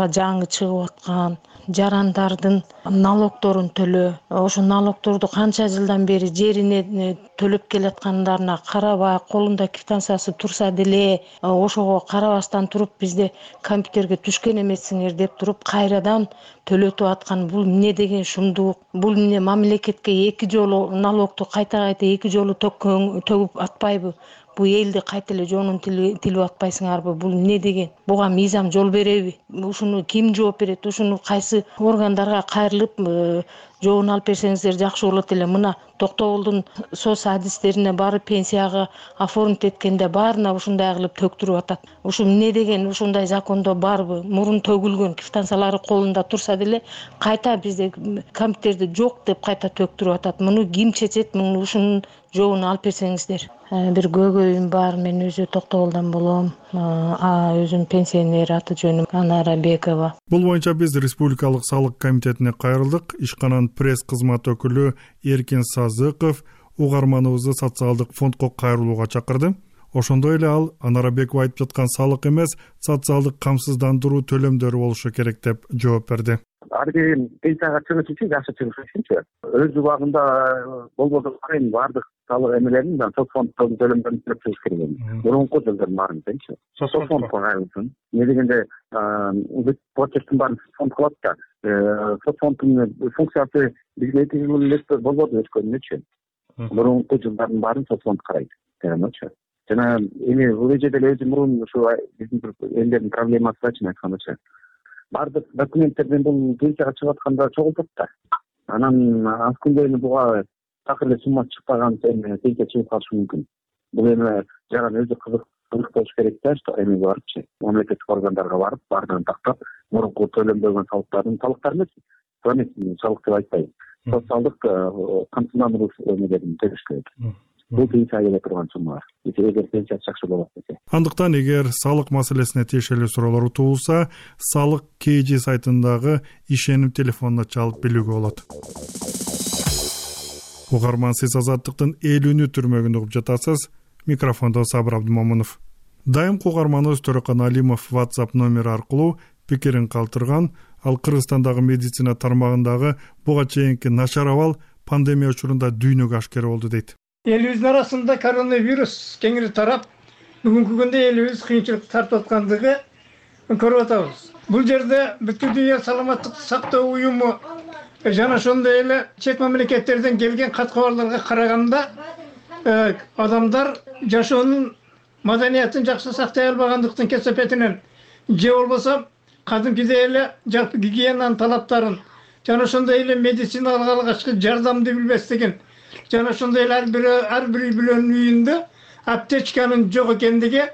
жаңы чыгып аткан жарандардын налогдорун төлөө, ошо налогдорду канча жылдан бери жерине төлөп келаткандарына карабай, колунда квитанциясы турса деле, ошого карабастан туруп бизде компьютерге түшкөн эмессиңер деп туруп кайрадан төлөтүп аткан бул эмне деген шумдук? Бул эмне мамлекетке 2 жолу налогду кайта 2 жолу төгүп атпайбы? Бу элди кайта эле жонун тилип атпайсыңарбы? Бул эмне деген? Буга мыйзам жол береби? Ушуну ким жооп берет? Ушуну кайсы органдарга кайрылып жообун алып берсеңиздер жакшы болот эле. Мына Токтогулдун соц адистерине барып пенсияга оформить эткенде баарына ушундай кылып төктүрүп атат. Ушу эмне деген? Ушундай закондо барбы? Мурун төгүлгөн квитанциялары колунда турса деле кайта бизде компьютерде жок деп кайта төктүрүп атат. Муну ким чечет? Муну ушунун жообун алып берсеңиздер. Бир көйгөйүм бар. Мен өзү Токтогулдан болом. Өзүм пенсионер, аты жөнүм Анара Бекова. Бул боюнча биз Республикалык салык комитетине кайрылдык. Ишкананын пресс кызмат өкүлү Эркин Сазыков угарманыбызды социалдык фондко кайрылууга чакырды. Ошондой эле ал Анара Бекова айтып жаткан салык эмес, социалдык камсыздандыруу төлөмдөрү болушу керек деп жооп берди. Ар бир пенсияга чыгыш үчүн, жакшы чыгыш үчүнчү өз убагында болбосо баардык салык эмелерин соцфонддон төлөмдөрүн төлөп чыгыш керек. Мурунку жылдардын баарын дечи. Соцфондко кайрылсын. Эмне дегенде почерктин баарын фонд кылат да. соцфонддун функциясы бизге эки жыл эле болбоду өткөнүнчү. Мурунку жылдардын баарын соцфонд карайт жараночу. Жана эми бул эже деле өзү мурун ушу биздин элдердин проблемасычын айткандачы. Бардык документтерден бул пенсияга чыгып атканда чогултат да. Анан аз күндө эми буга такыр эле сумма чыкпаган пенсия чыгып калышы мүмкүн. Бул эми жаран өзү кызык болуш керек да, что эми барыпчы мамлекеттик органдарга барып, баардыгын тактап, мурунку төлөнбөгөн салыктар эмес, салык деп айтпайм. Социалдык камсыздандыруу эмелерин төлөш керек. Бул пенсия келе турган суммалар. Эгер пенсия жакшы болот десе. Андыктан эгер салык маселесине тиешелүү суроолор туулса, салык KG сайтындагы ишеним телефонуна чалып билүүгө болот. Угарман, сиз Азаттыктын 50 түрмөгүндө угуп жатасыз. Микрофондо Сабыр Абдымомунов. Дайым угарманыбыз Төрөкан Алимов WhatsApp номери аркылуу пикирин калтырган. Ал Кыргызстандагы медицина тармагындагы буга чейинки начар абал пандемия учурунда дүйнөгө ашкер болду дейт. Элибиздин арасында коронавирус кеңири тарап, бүгүнкү күндө элибиз кыйынчылык тартып аткандыгы көрүп атабыз. Бул жерде бүткүл дүйнө саламаттык сактоо уюму жана ошондой эле чет мамлекеттерден келген кат кабарларга караганда адамдар жашоонун маданиятын жакшы сактай албагандыктын кесепетинен же болбосо кадимкидей эле жалпы гигиенанын талаптарын жана ошондой эле медициналык алгачкы жардамды билбестигин жана ошондой эле ар бир үй бүлөнүн үйүндө аптечканын жок экендиги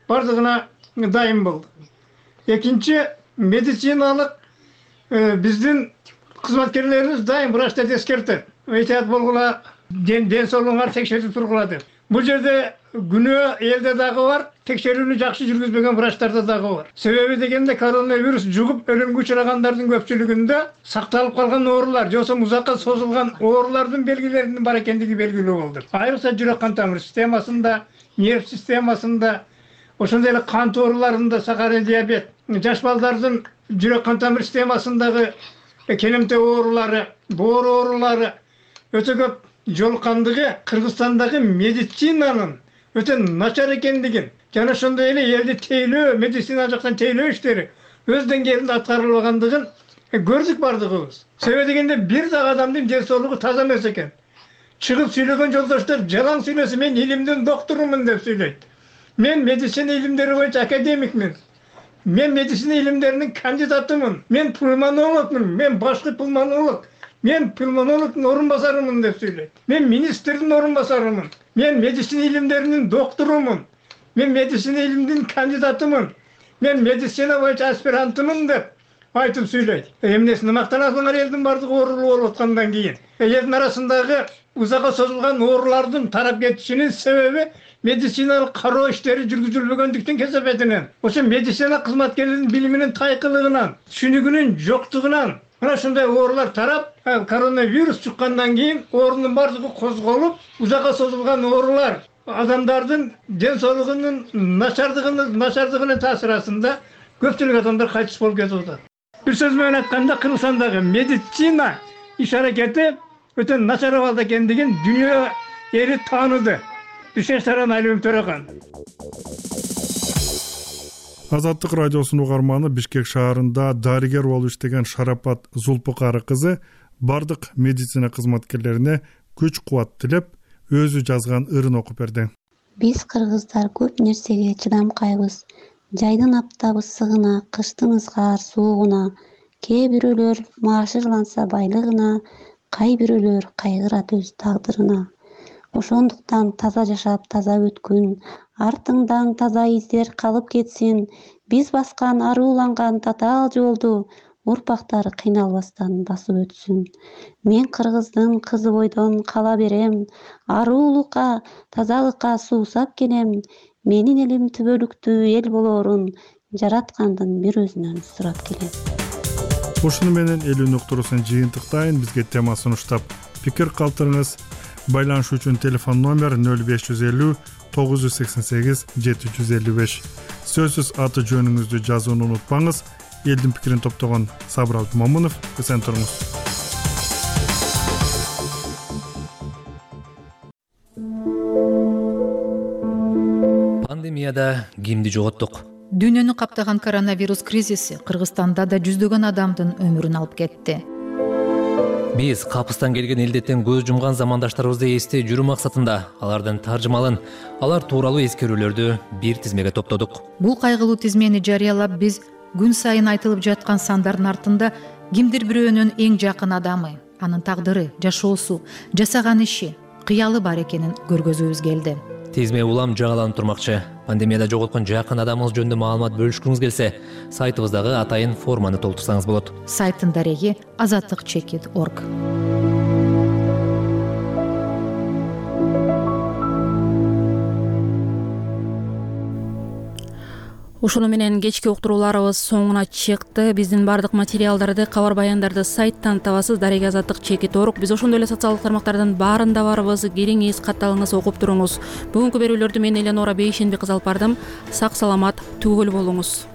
бардыгына дайым болду. Экинчи, медициналык биздин кызматкерлерибиз дайым врачтарды эскертет. Эйтият болгула, ден соолугуңар текшерип тургула деп. Бул жерде күнөө элде дагы бар, текшерүүнү жакшы жүргүзбөгөн врачтарда дагы бар. Себеби дегенде коронавирус жугуп өлүмгө учурагандардын көпчүлүгүндө сакталып калган оорулар, же болбосо узакка созулган оорулардын белгилеринин бар экендиги белгилүү болду. Айрыкча жүрөк кан тамыр системасында, нерв системасында, ошондой эле кант ооруларында, сахарный диабет, жаш балдардын жүрөк кан тамыр системасындагы келемте оорулары, боор оорулары өтө көп жолуккандыгы Кыргызстандагы медицинанын өтө начар экендигин жана ошондой эле элди тейлөө, медицина жактан тейлөө иштери өз деңгээлинде аткарылбагандыгын көрдүк бардыгыбыз. Себеби дегенде бир дагы адамдын ден соолугу таза эмес экен. Чыгып сүйлөгөн жолдоштор жалаң сүйлөсө, мен илимдин докторумун деп сүйлөйт. Мен медицина илимдери боюнча академикмин. Мен медицина илимдеринин кандидатымын. Мен пульмонологмун. Мен башкы пульмонолог. Мен пульмонологдун орун басарымын деп сүйлөйт. Мен министрдин орун басарымын. Мен медицина илимдеринин докторумун. Мен медицина илимдин кандидатымын. Мен медицина боюнча аспирантымын деп айтып сүйлөйт. Эмнесине мактанасыңар элдин бардыгы оорулуу болуп аткандан кийин? Элдин арасындагы узакка созулган оорулардын тарап кетишинин себеби медициналык кароо иштери жүргүзүлбөгөндүктүн кесепетинен. Ошо медицина кызматкерлеринин билиминин тайкылыгынан, түшүнүгүнүн жоктугунан мына ушундай оорулар тарап, коронавирус чыккандан кийин оорунун бардыгы козголуп, узакка созулган оорулар адамдардын ден соолугунун начардыгынын таасирасында көпчүлүк адамдар кайтыш болуп кетип атат. Бир сөз менен айтканда, Кыргызстандагы медицина иш аракети өтө начар абалда экендигин дүйнө эли тааныды. Бишкектен Алимов Төрөкан. Азаттык радиосунун угарманы Бишкек шаарында дарыгер болуп иштеген Шарапат Зулпукары кызы бардык медицина кызматкерлерине күч кубат тилеп, өзү жазган ырын окуп берди. Биз кыргыздар көп нерсеге чыдамкайбыз. Жайдын аптап ысыгына, кыштын ызгаар суугуна, кээ бирөөлөр маашырланса байлыгына, кай бирөөлөр кайгырат өз тагдырына. Ошондуктан таза жашап, таза өткүн, артыңдан таза издер калып кетсин. Биз баскан арууланган татаал жолду урпактары кыйналбастан басып өтсүн. Мен кыргыздын кызы бойдон кала берем, аруулукка, тазалыкка суусап келем. Менин элим түбөлүктүү эл болоорун жараткандын бир өзүнөн сурап келем. Ушуну менен элүүнү уктуруусун жыйынтыктайын. Бизге темасын уштап пикир калтырыңыз. Байланыш үчүн телефон номер 0550 988 755. Сөзсүз аты жөнүңүздү жазууну унутпаңыз. Элдин пикирин топтогон Сабыр Абдымомунов. Эсен туруңуз. Пандемияда кимди жоготтук? Дүйнөнү каптаган коронавирус кризиси Кыргызстанда да жүздөгөн адамдын өмүрүн алып кетти. Биз капыстан келген илдеттен көз жумган замандаштарыбызды эстей жүрүү максатында алардын таржымалын, алар тууралуу эскерүүлөрдү бир тизмеге топтодук. Бул кайгылуу тизмени жарыялап биз күн сайын айтылып жаткан сандардын артында кимдир бирөөнүн эң жакын адамы, анын тагдыры, жашоосу, жасаган иши, кыялы бар экенин көргөзүүбүз келди. Тизме улам жаңыланып турмакчы. Пандемияда жоголткон жакын адамыңыз жөнүндө маалымат бөлүшкүңүз келсе, сайтыбыздагы атайын форманы толтурсаңыз болот. Сайттын дареги azatlyk.org. Ушуну менен кечки уктурууларыбыз соңуна чыкты. Биздин бардык материалдарды, кабар баяндарды сайттан табасыз, дареги azatlyk.org. Биз ошондой эле социалдык тармактардан барында барбыз. Кириңиз, катталыңыз, окуп туруңуз. Бүгүнкү берүүлөрдү мен Эленора Бейшенби кызы алып бардым. Сак саламат, түгөл болуңуз.